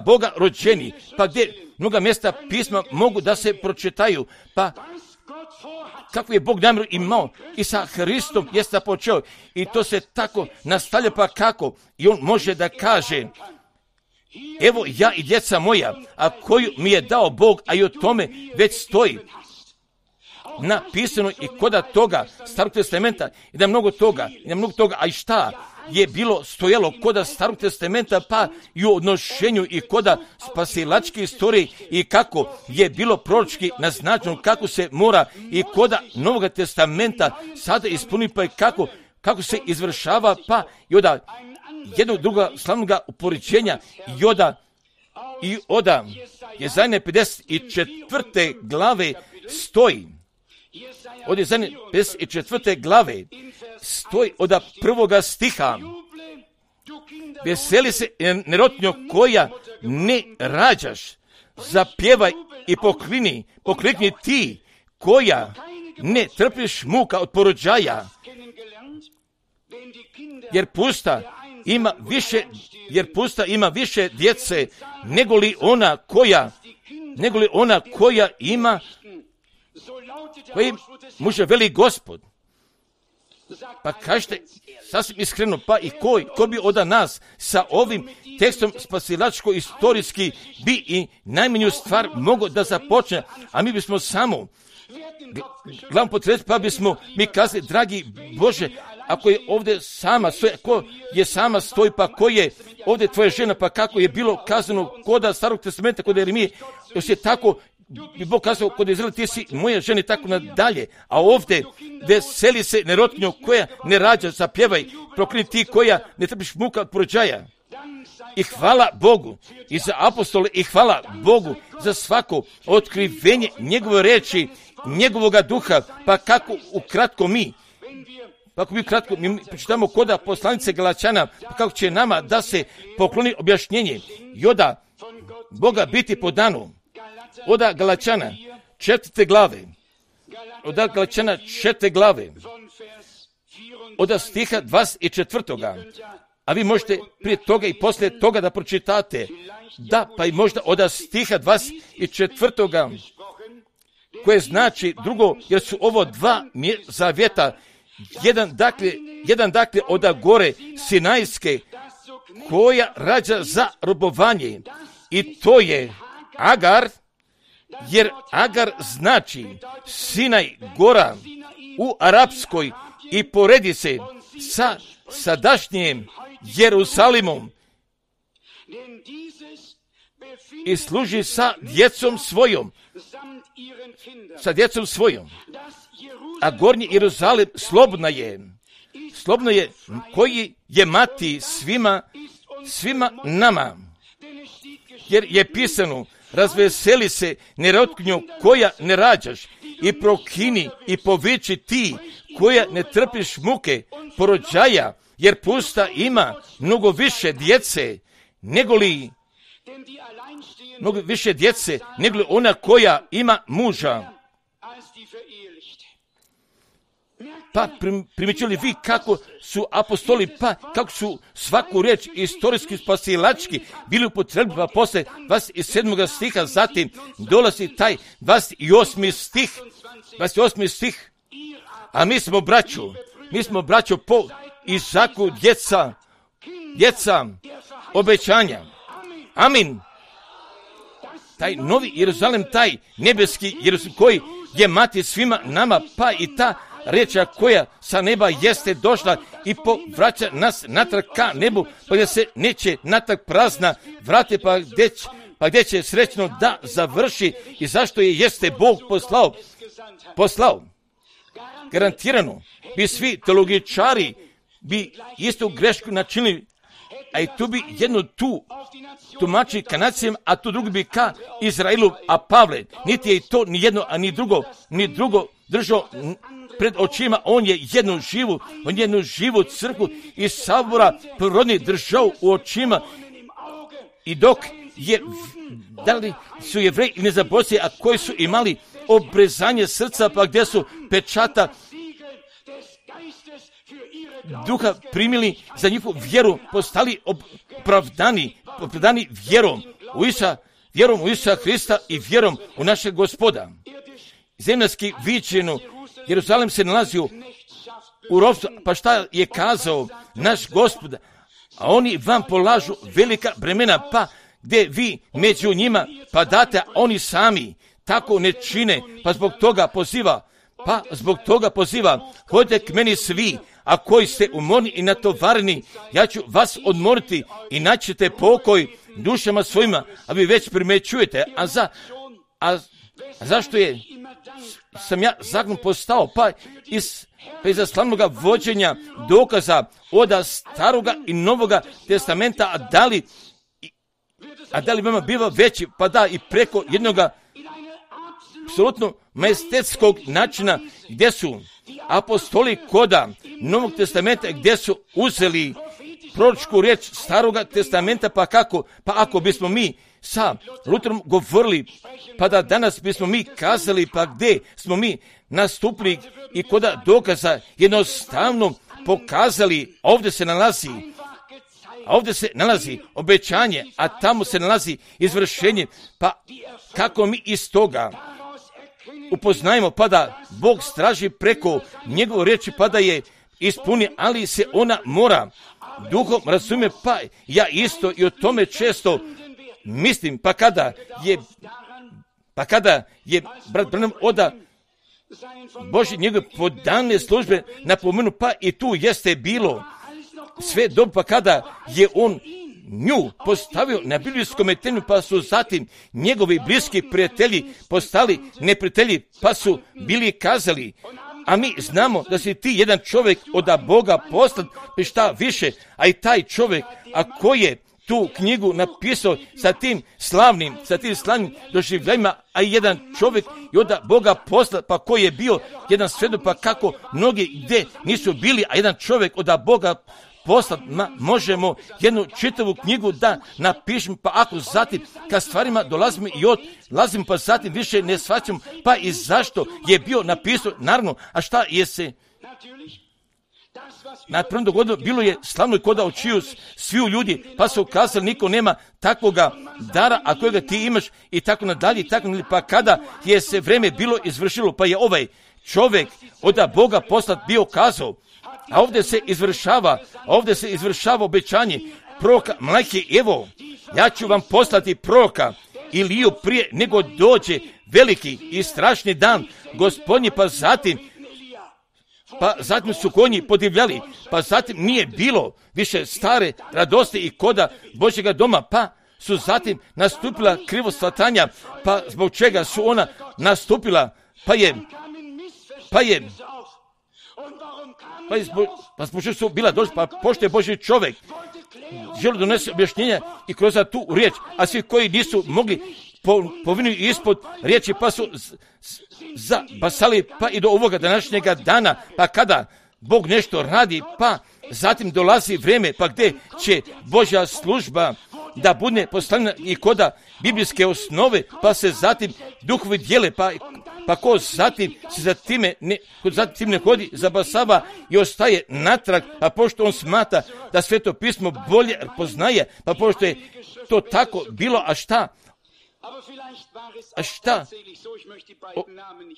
Boga rođeni, pa gdje mnoga mjesta pisma mogu da se pročitaju, pa kako je Bog namjeru imao i sa Hristom jeste počeo i to se tako nastavlja, pa kako i on može da kaže evo ja i djeca moja, a koju mi je dao Bog, a i o tome već stoji napisano i koda toga Starog testamenta i da mnogo toga, a i šta je bilo stojalo koda Starog testamenta, pa i u odnošenju i koda spasilačke istorije i kako je bilo proročki naznačeno kako se mora i koda Novog testamenta sada ispuni, pa i kako se izvršava, pa i od jednog druga slavnoga upoređenja i oda Jezajne 54. glave stoji. Od Jezajne 54. glave stoji od prvoga stiha. Veseli se nerotnjo koja ne rađaš, zapjevaj i poklikni ti koja ne trpiš muka od porođaja, jer pusta ima više djece nego li ona koja ima, koji muže veli Gospod. Pa kažete sasvim iskreno, pa i ko bi od nas sa ovim tekstom spasilačko-istorijski bi i najmanju stvar mogao da započne, a mi bismo samo glavom potresli, pa bismo mi kazali, dragi Bože, ako je ovdje sama stoji, ko je sama stoji, pa ko je ovdje tvoja žena, pa kako je bilo kazano kod Starog testamenta, kod Jeremije, još je tako bi Bog kazao kod Izraela, ti si moja žena i tako nadalje, a ovdje veseli se nerotkinjo koja ne rađa, zapjevaj, proklini ti koja ne trpiš muka od porođaja. I hvala Bogu i za apostole, i hvala Bogu za svako otkrivenje njegove reči, njegovoga duha, pa kako ukratko mi počitamo koda poslanice Galačana, pa kako će nama da se pokloni objašnjenje i oda Boga biti po danu. Oda Galačana 4. glave, oda stiha 24. A vi možete prije toga i poslije toga da pročitate. Da, pa i možda od stiha 24. koje znači drugo, jer su ovo dva zavjeta, jedan dakle od gore Sinajske, koja rađa za robovanje, i to je Agar, jer Agar znači Sinaj, gora u arapskoj, i poredi se sa sadašnjim Jerusalimom i služi sa djecom svojom. A gornji Jerusalim slobodna je, koji je mati svima nama. Jer je pisano, razveseli se nerotkinjo koja ne rađaš, i prokini i poviči ti koja ne trpiš muke porođaja, jer pusta ima mnogo više djece nego li ona koja ima muža. Pa primjećili vi kako su apostoli, pa kako su svaku riječ istorijski spasilački bili upotrebili, pa posle 27. stiha, zatim dolazi taj 28. stih, a mi smo braćo po Izaku djeca obećanja. Amin. Taj novi Jerusalim, taj nebeski Jerusalim koji je mati svima nama, pa i ta riječ koja sa neba jeste došla i povraća nas natrag ka nebu, pa gdje se neće natrag prazna vrate, pa gdje će srećno da završi, i zašto je jeste Bog poslao. Garantirano bi svi teologičari bi istu grešku načinili, a i tu bi jedno tu tumači ka nacijama, a tu drugi bi ka Izraelu, a Pavle niti je to ni jedno, a ni drugo držao pred očima. On je jednu živu crkvu i sabora prirodni držao u očima, i dok je, da li su Jevreji ili nezaboravci, a koji su imali obrezanje srca, pa gdje su pečata duha primili za njihovu vjeru, postali opravdani vjerom u Isusa Hrista i vjerom u našeg Gospoda. Zemaljski viđeno, Jerusalim se nalazio u ropstvu, pa šta je kazao naš Gospod? A oni vam polažu velika bremena, pa gdje vi među njima padate, a oni sami tako ne čine, pa zbog toga poziva, hodite k meni svi, a koji ste umorni i natovareni, ja ću vas odmoriti i naćete pokoj dušama svojima, a vi već primećujete, a zašto sam ja zakon postao? Pa iz pa iza slavnoga vođenja dokaza od staroga i novoga testamenta, a da li vama biva veći, pa da i preko jednoga apsolutno majestetskog načina gdje su apostoli koda Novog testamenta, gdje su uzeli proročku riječ staroga testamenta, pa kako? Pa ako bismo mi sa Luterom govorili, pa da danas bismo mi kazali, pa gdje smo mi nastupili i koda dokaza jednostavno pokazali, ovdje se nalazi obećanje, a tamo se nalazi izvršenje, pa kako mi iz toga upoznajemo, pa da Bog straži preko njegove riječi, pa da je ispuni, ali se ona mora duhom razumije, pa ja isto i o tome često mislim, pa kada je brat Branham oda Božje njegove podane službe napomenu, pa i tu jeste bilo sve dobro, pa kada je on nju postavio na biblijskom temelju, pa su zatim njegovi bliski prijatelji postali neprijatelji, pa su bili kazali, a mi znamo da si ti jedan čovjek od Boga poslan, pa šta više, a i taj čovjek, a koji je tu knjigu napisao sa tim slavnim doživljajima, a i jedan čovjek i od Boga poslan, pa koji je bio jedan svjedok, pa kako mnogi gdje nisu bili, a jedan čovjek od Boga poslat, možemo jednu čitavu knjigu da napišemo, pa ako zatim kad stvarima dolazimo i odlazimo, pa zatim više ne shvaćamo, pa i zašto je bio napisao, naravno, a šta je se na prvom dogodilo, bilo je slavno i koda očiju sviju ljudi, pa su kazali, niko nema takvoga dara, a kojega ti imaš, i tako nadalje, pa kada je se vreme bilo izvršilo, pa je ovaj čovjek od Boga poslat bio kazao, a ovdje se izvršava obećanje proroka Malahije, evo, ja ću vam poslati proroka Iliju prije nego dođe veliki i strašni dan Gospodnji, pa zatim su konji podivljali, pa zatim nije bilo više stare radosti i koda Božjega doma, pa su zatim nastupila krivoshvatanja, pa zbog čega su ona nastupila, zbog čega su bila došla, pa pošto je Božji čovjek želi donese objašnjenja i kroz tu riječ, a svi koji nisu mogli povinu ispod riječi, pa su zabasali, pa i do ovoga današnjega dana, pa kada Bog nešto radi, pa zatim dolazi vrijeme, pa gdje će Božja služba da bude postavljena i koda biblijske osnove, pa se zatim duhovi dijele, pa ko zatim se za time ne hodi, zabasava i ostaje natrag, a pošto on smatra da Sveto pismo bolje poznaje, pa pošto je to tako bilo, a šta?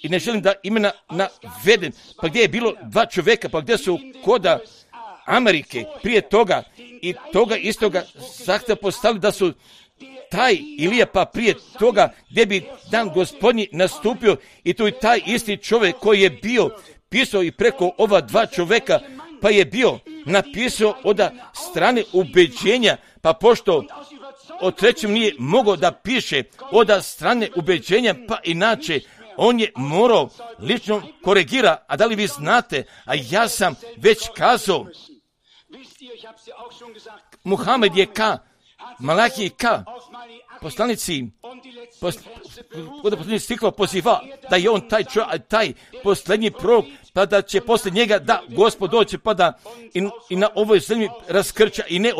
I ne želim da imena navedem, pa gdje je bilo dva čovjeka, pa gdje su koda Amerike prije toga i toga istoga zahtjeva postavili da su taj Ilija, pa prije toga gdje bi dan Gospodnji nastupio, i tu i taj isti čovjek koji je bio pisao i preko ova dva čovjeka, pa je bio napisao od strane ubeđenja, pa pošto o trećem nije mogao da piše od strane ubeđenja, pa inače on je morao lično koregira, a da li vi znate, a ja sam već kazao, Muhamed je ka Malahiji ka poslanici posljednji stikla poziva da je on taj posljednji prorok, pa da će poslije njega da Gospod doće, pa da i na ovoj zemlji raskrča i ne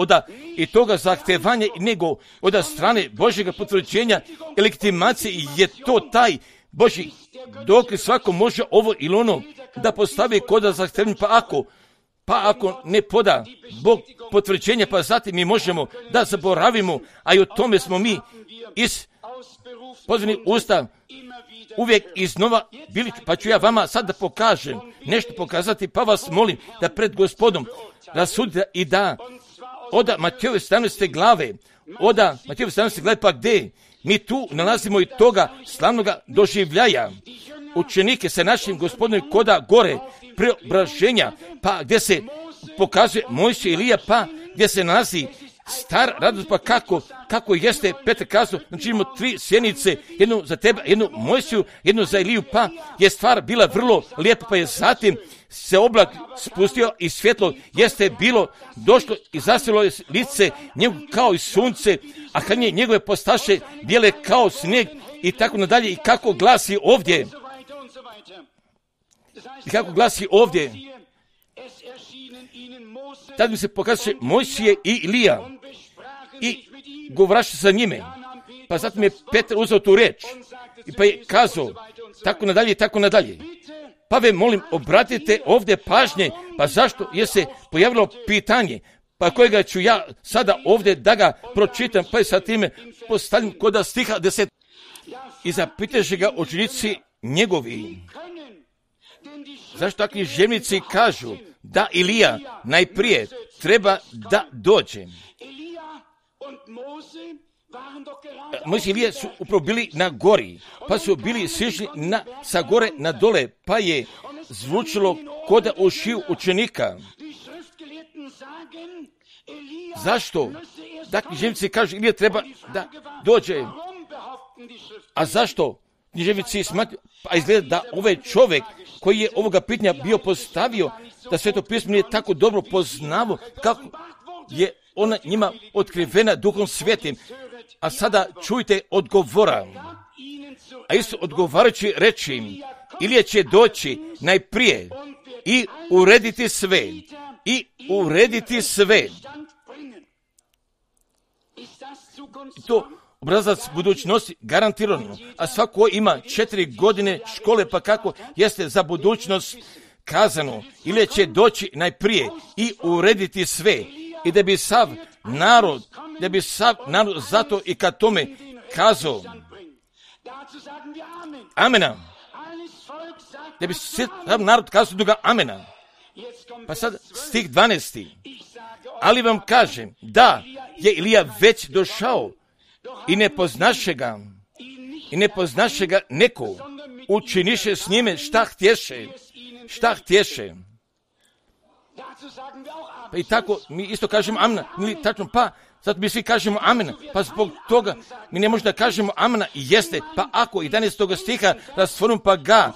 i toga zahtevanja, nego od strane Božjega potvrđenja i legitimacije, je to taj Božji dok svako može ovo ili ono da postavi koda zahtevanja, pa ako ne poda Bog potvrđenja, pa zatim mi možemo da zaboravimo, a i o tome smo mi iz pozvanih usta uvijek iznova bili, pa ću ja vama sad da pokažem, nešto pokazati, pa vas molim da pred Gospodom rasudite i da od Matejove 17. glave, pa gdje mi tu nalazimo i toga slavnoga doživljaja, učenike sa našim Gospodinom koda gore preobraženja, pa gdje se pokazuje Mojsije Ilija, pa gdje se nalazi star radost, pa kako jeste Petar kazao, znači imamo 3 sjenice, jednu za tebe, jednu Mojsiju, jednu za Iliju, pa je stvar bila vrlo lijepa, pa je zatim se oblak spustio i svjetlo jeste bilo došlo i zasjelo je lice njegu kao i sunce, a kad njegove postaše bijele kao snijeg i tako nadalje. I kako glasi ovdje? I kako glasi ovdje? Tad mi se pokazuje Mojsije i Ilija i govaraše sa njime. Pa zatim je Petar uzeo tu riječ i pa je kazao tako nadalje i tako nadalje. Pa ve molim, obratite ovdje pažnje, pa zašto je se pojavilo pitanje, pa kojega ću ja sada ovdje da ga pročitam, pa je sa time postavljam kod stiha 10. I zapitaše ga učenici njegovi, zašto takvi žemnici kažu da Ilija najprije treba da dođe. Mojsije i Ilija su upravo bili na gori, pa su bili sišli sa gore na dole, pa je zvučilo koda ušiju učenika. Zašto? Dakle, književnici kažu Ilija treba da dođe. A zašto? Književnici smatruju, pa izgleda da ovaj čovjek koji je ovoga pitanja bio postavio, da Sveto pismo nije tako dobro poznavo kako je ona njima otkrivena Duhom Svetim. A sada čujte odgovora. A isto odgovarajući reći im, Ilija će doći najprije i urediti sve. I urediti sve. To obrazac budućnosti garantirano. A svako ima 4 godine škole, pa kako jeste za budućnost kazano. Ilija će doći najprije i urediti sve. I da bi sav narod zato i kad tome kazao amena. Da bi sav narod kazao druga amena. Pa sad stih 12. Ali vam kažem da je Ilija već došao i ne poznaše ga neko, učiniše s njime šta htješe. Pa i tako mi isto kažemo amena, ili tačno pa, zato mi svi kažemo amena, pa zbog toga mi ne možemo da kažemo amena i jeste, pa ako 11. stiha rastvorimo pa ga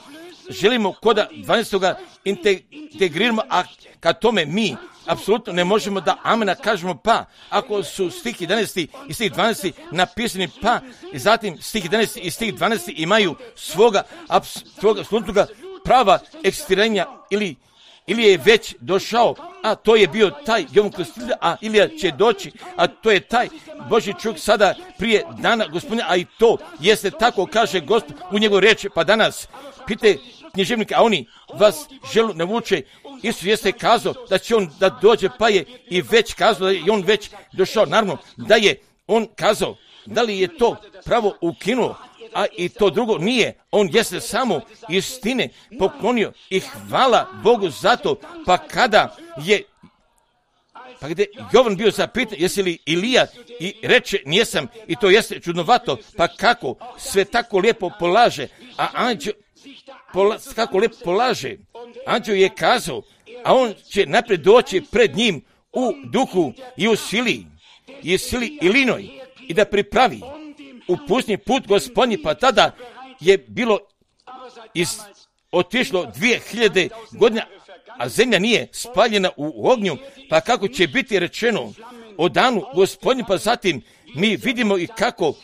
želimo koda 12. integriramo, a kad tome mi apsolutno ne možemo da amena kažemo pa, ako su stih 11. i stih 12. napisani pa, i zatim stih 11. i stih 12. imaju svoga apsolutnoga prava ekstiranja ili je već došao, a to je bio taj Jovan Krstitelj, a Ilija će doći, a to je taj Božji čovjek sada prije dana Gospodina, a i to jeste tako, kaže Gospod u njegovoj riječi, pa danas pite književnike, a oni vas želu navuče, Isus jeste kazao da će on da dođe, pa je i već kazao da je on već došao, naravno da je on kazao, da li je to pravo ukinuo, a i to drugo nije, on jeste samo istine poklonio i hvala Bogu za to, pa gdje Jovan bio zapitan, jesi li Ilija, i reče nijesam, i to jeste čudnovato, pa kako sve tako lijepo polaže, a anđeo kako lijepo polaže, anđeo je kazao, a on će naprijed doći pred njim u duhu i u sili Ilinoj i da pripravi u pustinji put Gospodnji, pa tada je bilo otišlo 2000 godina, a zemlja nije spaljena u ognju, pa kako će biti rečeno o danu Gospodnji, pa zatim mi vidimo i kako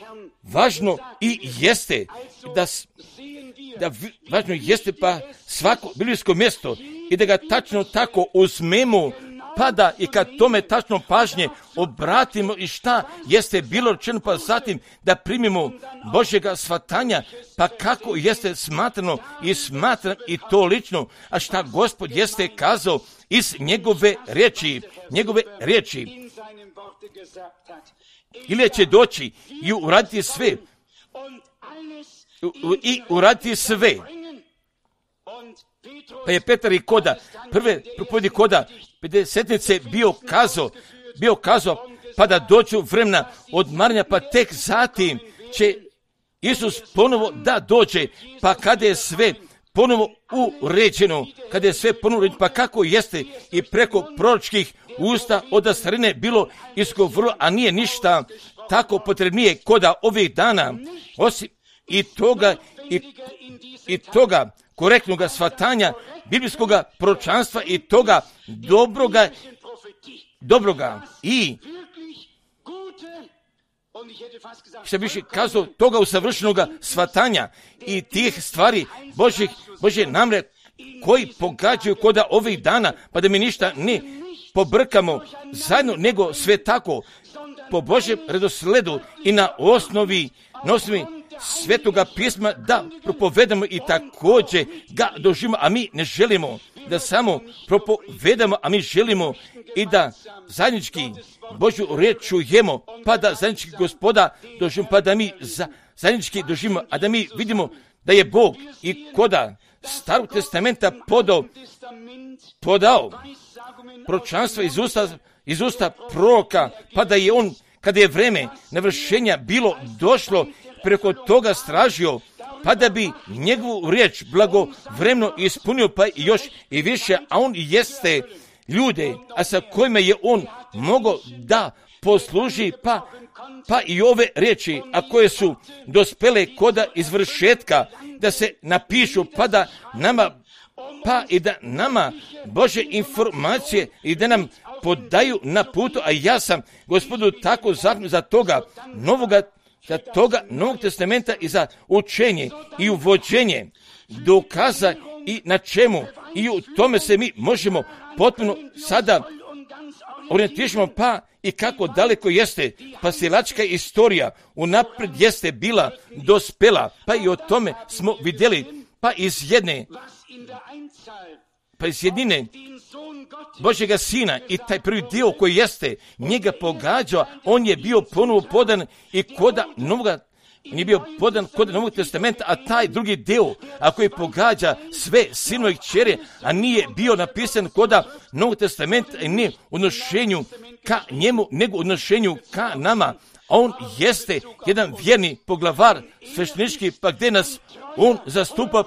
važno i jeste da važno jeste pa svako biblijsko mjesto i da ga tačno tako uzmemo, pa da i kad tome tačno pažnje obratimo i šta jeste bilo rečeno, pa zatim da primimo Božjega shvatanja, pa kako jeste smatrano i smatram i to lično, a šta Gospod jeste kazao iz njegove riječi. Ilija će doći i uraditi sve. Pa je Petar i koda, prve propovjedi koda 50-nice bio kazao, pa da dođu vremena odmaranja, pa tek zatim će Isus ponovo da dođe, pa kada je sve ponovo uređeno, pa kako jeste i preko proročkih usta od starine bilo izgovorilo, a nije ništa tako potrebnije koda ovih dana, osim i toga korektnog shvatanja biblijskog proročanstva i toga dobroga i što više kazao toga usavršenog shvatanja i tih stvari Božje namre koji pogađaju koda ovih dana, pa da mi ništa ne pobrkamo zajedno, nego sve tako po Božjem redosledu i na osnovi Svetoga pisma da propovedamo i također ga doživimo, a mi ne želimo da samo propovedamo, a mi želimo i da zajednički Božju riječ čujemo, pa da zajednički Gospoda doživimo, pa da mi zajednički doživimo, a da mi vidimo da je Bog i koda Starog testamenta podao proročanstva iz usta proroka, pa da je on, kada je vreme navršenja bilo došlo, preko toga stražio, pa da bi njegovu riječ blagovremeno ispunio, pa još i više, a on jeste ljude, a sa kojima je on mogao da posluži, pa i ove riječi, a koje su dospele koda izvršetka, da se napišu, pa da nama Bože informacije i da nam podaju na putu, a ja sam Gospodu tako zahvalan za toga Novog testamenta i za učenje i uvođenje dokaza i na čemu i u tome se mi možemo potpuno sada orijentiramo, pa i kako daleko jeste pasilačka istorija unaprijed jeste bila dospela, pa i o tome smo vidjeli, pa iz jednine Božjega Sina i taj prvi dio koji jeste njega pogađao, on je bio ponovo podan i koda Novog testamenta, a taj drugi dio, a koji pogađa sve sinove i kćeri, a nije bio napisan koda Novog testamenta i nije u odnošenju ka njemu, nego u odnošenju ka nama. A on jeste jedan vjerni poglavar sveštenički, pa gdje nas on zastupa,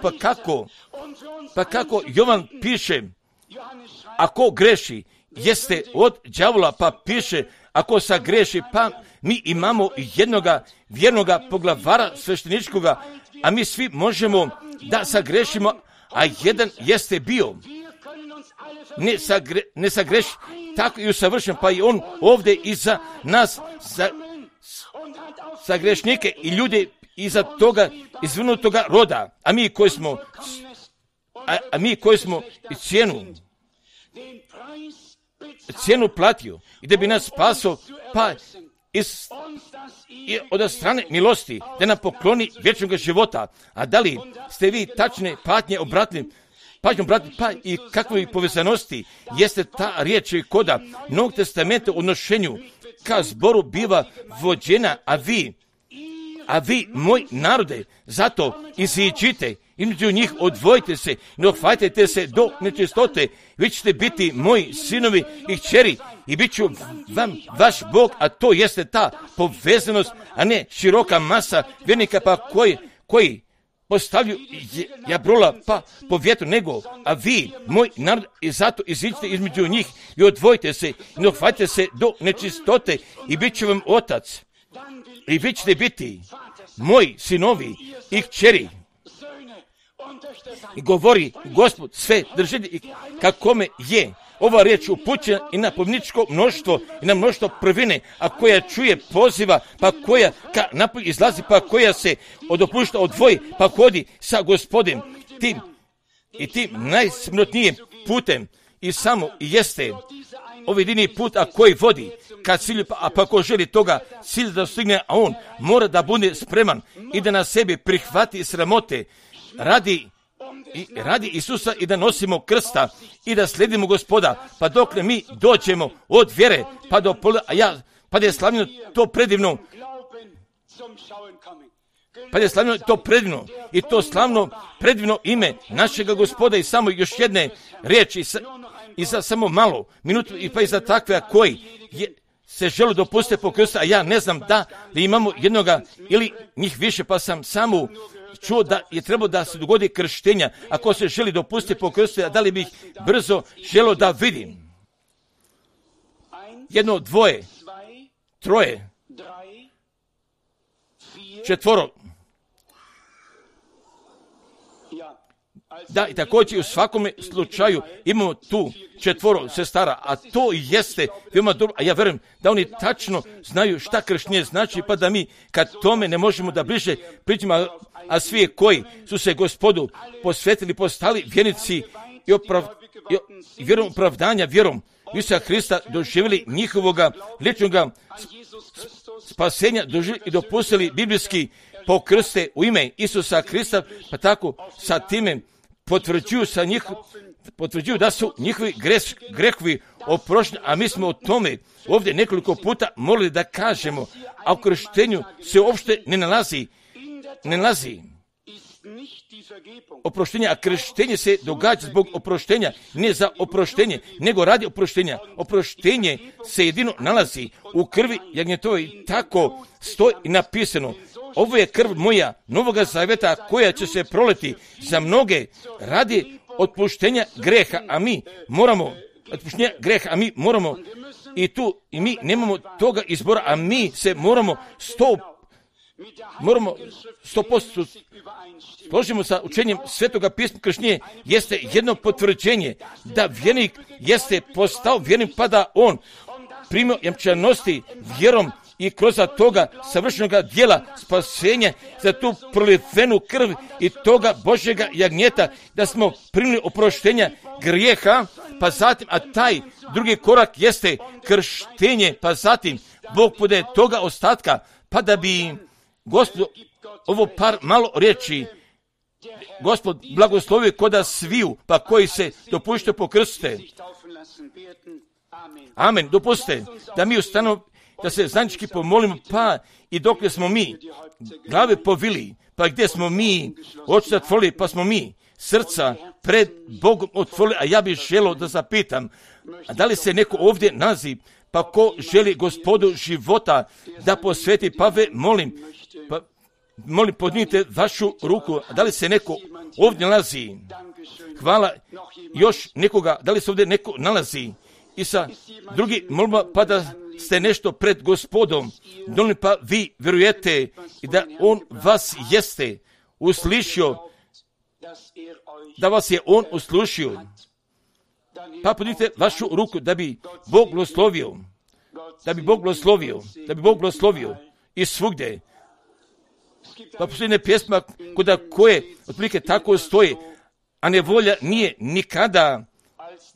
pa kako Jovan piše, ako greši, jeste od đavola, pa piše, ako sagreši, pa mi imamo jednoga vjernoga poglavara svešteničkoga, a mi svi možemo da sagrešimo, a jedan jeste bio ne sagreši, tako i usavršen, pa i on ovdje iza nas za grešnike i ljude iza toga izvrnutoga roda, a mi koji smo i cijenu platio i da bi nas spasao, pa od strane milosti da nam pokloni vječnog života. A da li ste vi tačne pažnje obratili, pa i kakve povezanosti jeste ta riječ koda Novog testamenta u odnošenju ka zboru biva vođena, a vi, moj narode, zato iziđite, između njih odvojite se, ne ohvatite se do nečistote, vi ćete biti moji sinovi i kćeri i bit ću vam vaš Bog, a to jeste ta povezanost, a ne široka masa vjernika koji postavljaju jabrola pa po vjetru, nego, a vi, moj narod, i zato iziđite između njih i odvojite se, ne ohvatite se do nečistote i bit ću vam otac. I vi ćete biti moji sinovi i kćeri. I govori Gospod sve držitelji i kakome je ova riječ upućena i na pomničko mnoštvo i na mnoštvo prvine, a koja čuje poziva, pa koja ka napolje izlazi, pa koja se od opušta odvoji, pa hodi sa Gospodem tim najsmrotnijim putem i samo jeste ovaj jedini put, a koji vodi ka cilju, pa ko želi toga cilja da stigne, a on mora da bude spreman i da na sebi prihvati sramote radi Isusa i da nosimo krsta i da slijedimo Gospoda, pa dokle mi dođemo od vjere pa do pa da je slavljeno to predivno, i to slavno predivno ime našega Gospoda i samo još jedne riječi i za samo malo minutu i pa i za takve koji se žele dopustiti po krstu, a ja ne znam da li imamo jednoga ili njih više, pa sam samo čuo da je trebalo da se dogodi krštenja, ako se želi dopustiti po krstu, a da li bih brzo želio da vidim. 1, 2, 3, 4. da i također u svakome slučaju imamo tu 4 sestara, a to jeste veoma dobro, a ja vjerujem da oni tačno znaju šta krštenje znači, pa da mi kad tome ne možemo da bliže pričamo, a svi koji su se Gospodu posvetili, postali vjernici i vjerom opravdanja, vjerom Isusa Hrista doživjeli njihovoga ličnoga spasenja, doživjeli i dopustili biblijski pokrste u ime Isusa Hrista, pa tako sa time potvrđuju da su njihovi grehovi oprošteni, a mi smo o tome ovdje nekoliko puta morali da kažemo, a u krštenju se uopšte ne nalazi oproštenja, a krštenje se događa zbog oproštenja, ne za oproštenje, nego radi oproštenja. Oproštenje se jedino nalazi u krvi jagnjetove i tako stoji i napisano. Ovo je krv moja Novoga zaveta koja će se proliti za mnoge radi otpuštenja greha, a mi moramo i tu i mi nemamo toga izbora, a mi se moramo 100% složimo sa učenjem Svetoga pisma. Krštenje jeste jedno potvrđenje da vjernik jeste postao vjernik, pa da on primio jamčanosti vjerom i kroz toga savršenoga dijela spasenja za tu prolivenu krv i toga Božjega jagnjeta, da smo primili oproštenja grijeha, pa zatim, a taj drugi korak jeste krštenje, pa zatim Bog podaje toga ostatka, pa da bi Gospod ovo par malo riječi Gospod blagoslovi koda sviju, pa koji se dopušte pokrste. Amen. Dopustite da mi ustanemo, da se zajednički pomolimo, pa i dok smo mi glave povili, pa gdje smo mi oči zatvorili, pa smo mi srca pred Bogom otvorili, a ja bih želio da zapitam, a da li se neko ovdje nalazi, pa ko želi Gospodu života da posveti, pa molim, podignite vašu ruku, a da li se neko ovdje nalazi? Hvala. Još nekoga, da li se ovdje neko nalazi? I sa drugi molba, pa da ste nešto pred Gospodom, donijeli, pa vi vjerujete i da on vas jeste uslišio, da vas je on uslušio, pa podignite vašu ruku da bi Bog blagoslovio i svugdje. Pa posljedne pjesma koje otprilike tako stoji, a nevolja nije nikada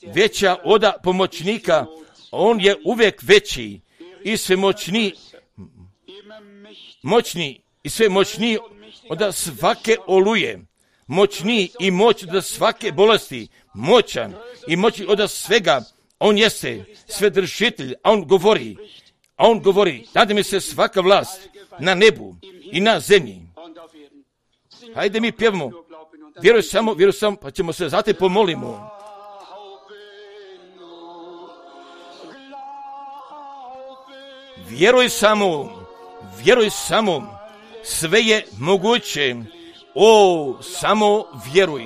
veća od pomoćnika, on je uvijek veći i sve moćni i sve moćniji od svake oluje, moćniji i moć od svake bolesti, moćan i moćni od svega. On jeste svedržitelj, a on govori, dade mi se svaka vlast na nebu i na zemlji. Hajde mi pjevamo, vjeruj samo, pa ćemo se zatim pomolimo. Vjeruj samo, sve je moguće, samo vjeruj.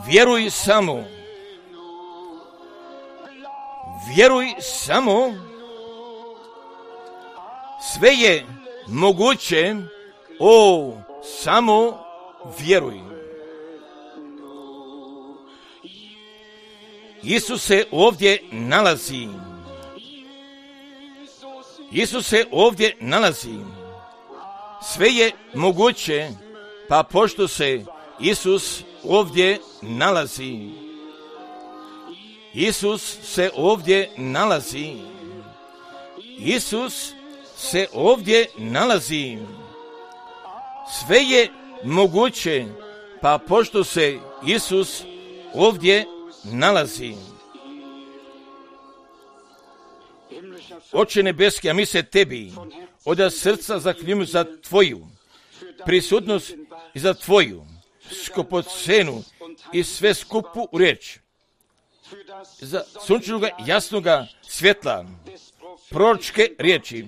Vjeruj samo, sve je moguće, samo vjeruj. Isus se ovdje nalazi. Sve je moguće, pa pošto se Isus ovdje nalazi. Isus se ovdje nalazi. Sve je moguće, pa pošto se Isus ovdje nalazi. Oče nebeski, a mi se tebi od srca zaklinjujemo za tvoju prisutnost i za tvoju skupocenu i sve skupu riječ, za sunčanoga jasnoga svjetla, proročke riječi,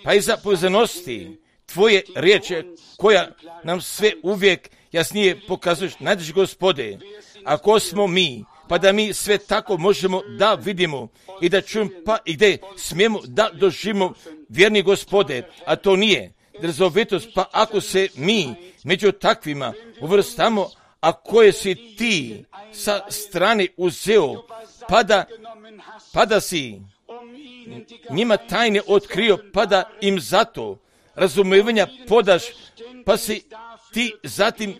pa i za povezanosti tvoje riječi koja nam sve uvijek jasnije pokazuješ. Najdraži Gospode, ako smo mi, pa da mi sve tako možemo da vidimo i da čujemo, pa i gdje smijemo da doživimo, vjerni Gospode, a to nije drzovitost, pa ako se mi među takvima uvrstamo, a koje si ti sa strane uzeo, pa da si njima tajne otkrio, pa da im zato razumevanja podaš, pa si ti zatim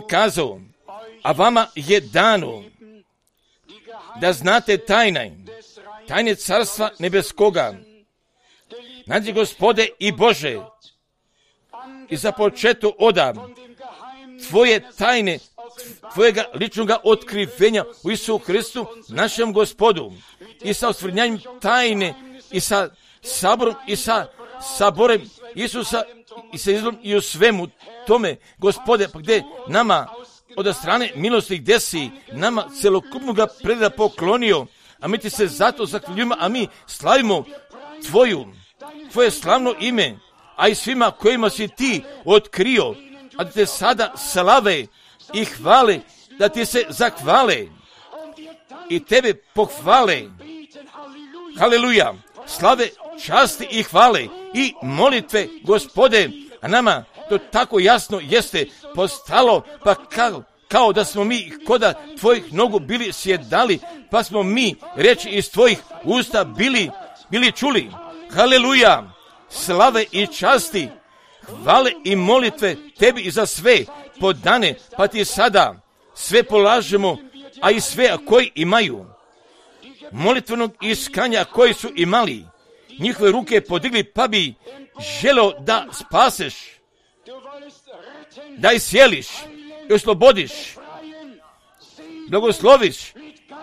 kazao, a vama je dano da znate tajne carstva nebeskoga. Nađi, Gospode i Bože, i započeto odam tvoje tajne, tvojega ličnoga otkrivenja u Isusu Hristu, našem Gospodu, i sa osvrnjanjem tajne, i sa saborom, i sa saborem Isusa, i sa izlom, i u svemu tome, Gospode, pa gdje nama od strane milosti, gdje si nama celokupnoga preda poklonio, a mi ti se zato zahvaljujemo, a mi slavimo tvoje slavno ime, a i svima kojima si ti otkrio, a da te sada slave i hvale, da ti se zahvale i tebe pohvale. Haleluja! Slave, časti i hvale i molitve, Gospode, a nama to tako jasno jeste postalo, pa kao da smo mi koda tvojih nogu bili sjedali, pa smo mi reći iz tvojih usta bili čuli. Haleluja! Slave i časti, hvale i molitve tebi i za sve podane, pa ti sada sve polažemo, a i sve koji imaju molitvenog iskanja, koji su imali njihove ruke podigli, pa bi želeo da spaseš, da isjeliš i oslobodiš, blagosloviš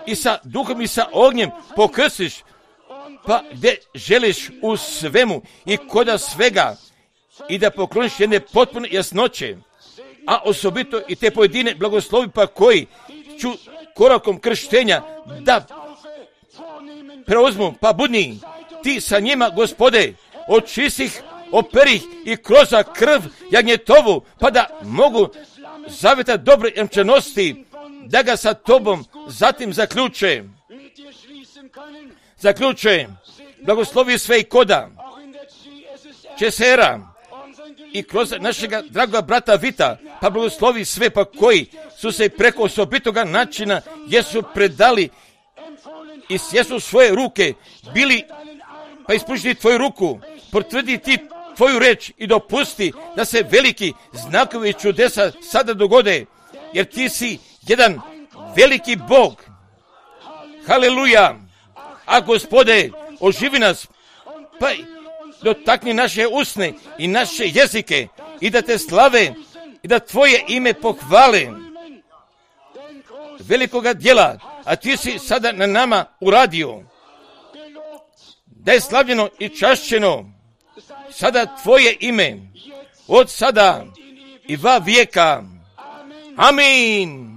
i sa duhom i sa ognjem pokrstiš, pa gdje želiš u svemu i koda svega i da pokloniš jedne potpune jasnoće, a osobito i te pojedine blagoslovi, pa koji ću korakom krštenja da preuzmu, pa budni ti sa njima, Gospode, očistih, operih i kroz krv jagnjetovu, pa da mogu zaveta dobre jamčanosti, da ga sa tobom zatim zaključe, blagoslovi sve i koda, Česera i kroz našega dragoga brata Vita, pa blagoslovi sve, pa koji su se preko osobitoga načina jesu predali i sjesu svoje ruke bili, pa ispušti tvoju ruku, potvrdi ti tvoju reč i dopusti da se veliki znakovi i čudesa sada dogode, jer ti si jedan veliki Bog. Haleluja! A Gospode, oživi nas, pa dotakni naše usne i naše jezike i da te slave i da tvoje ime pohvale velikoga djela, a ti si sada na nama uradio. Da je slavljeno i čašćeno sada tvoje ime, od sada i va vijeka. Amin.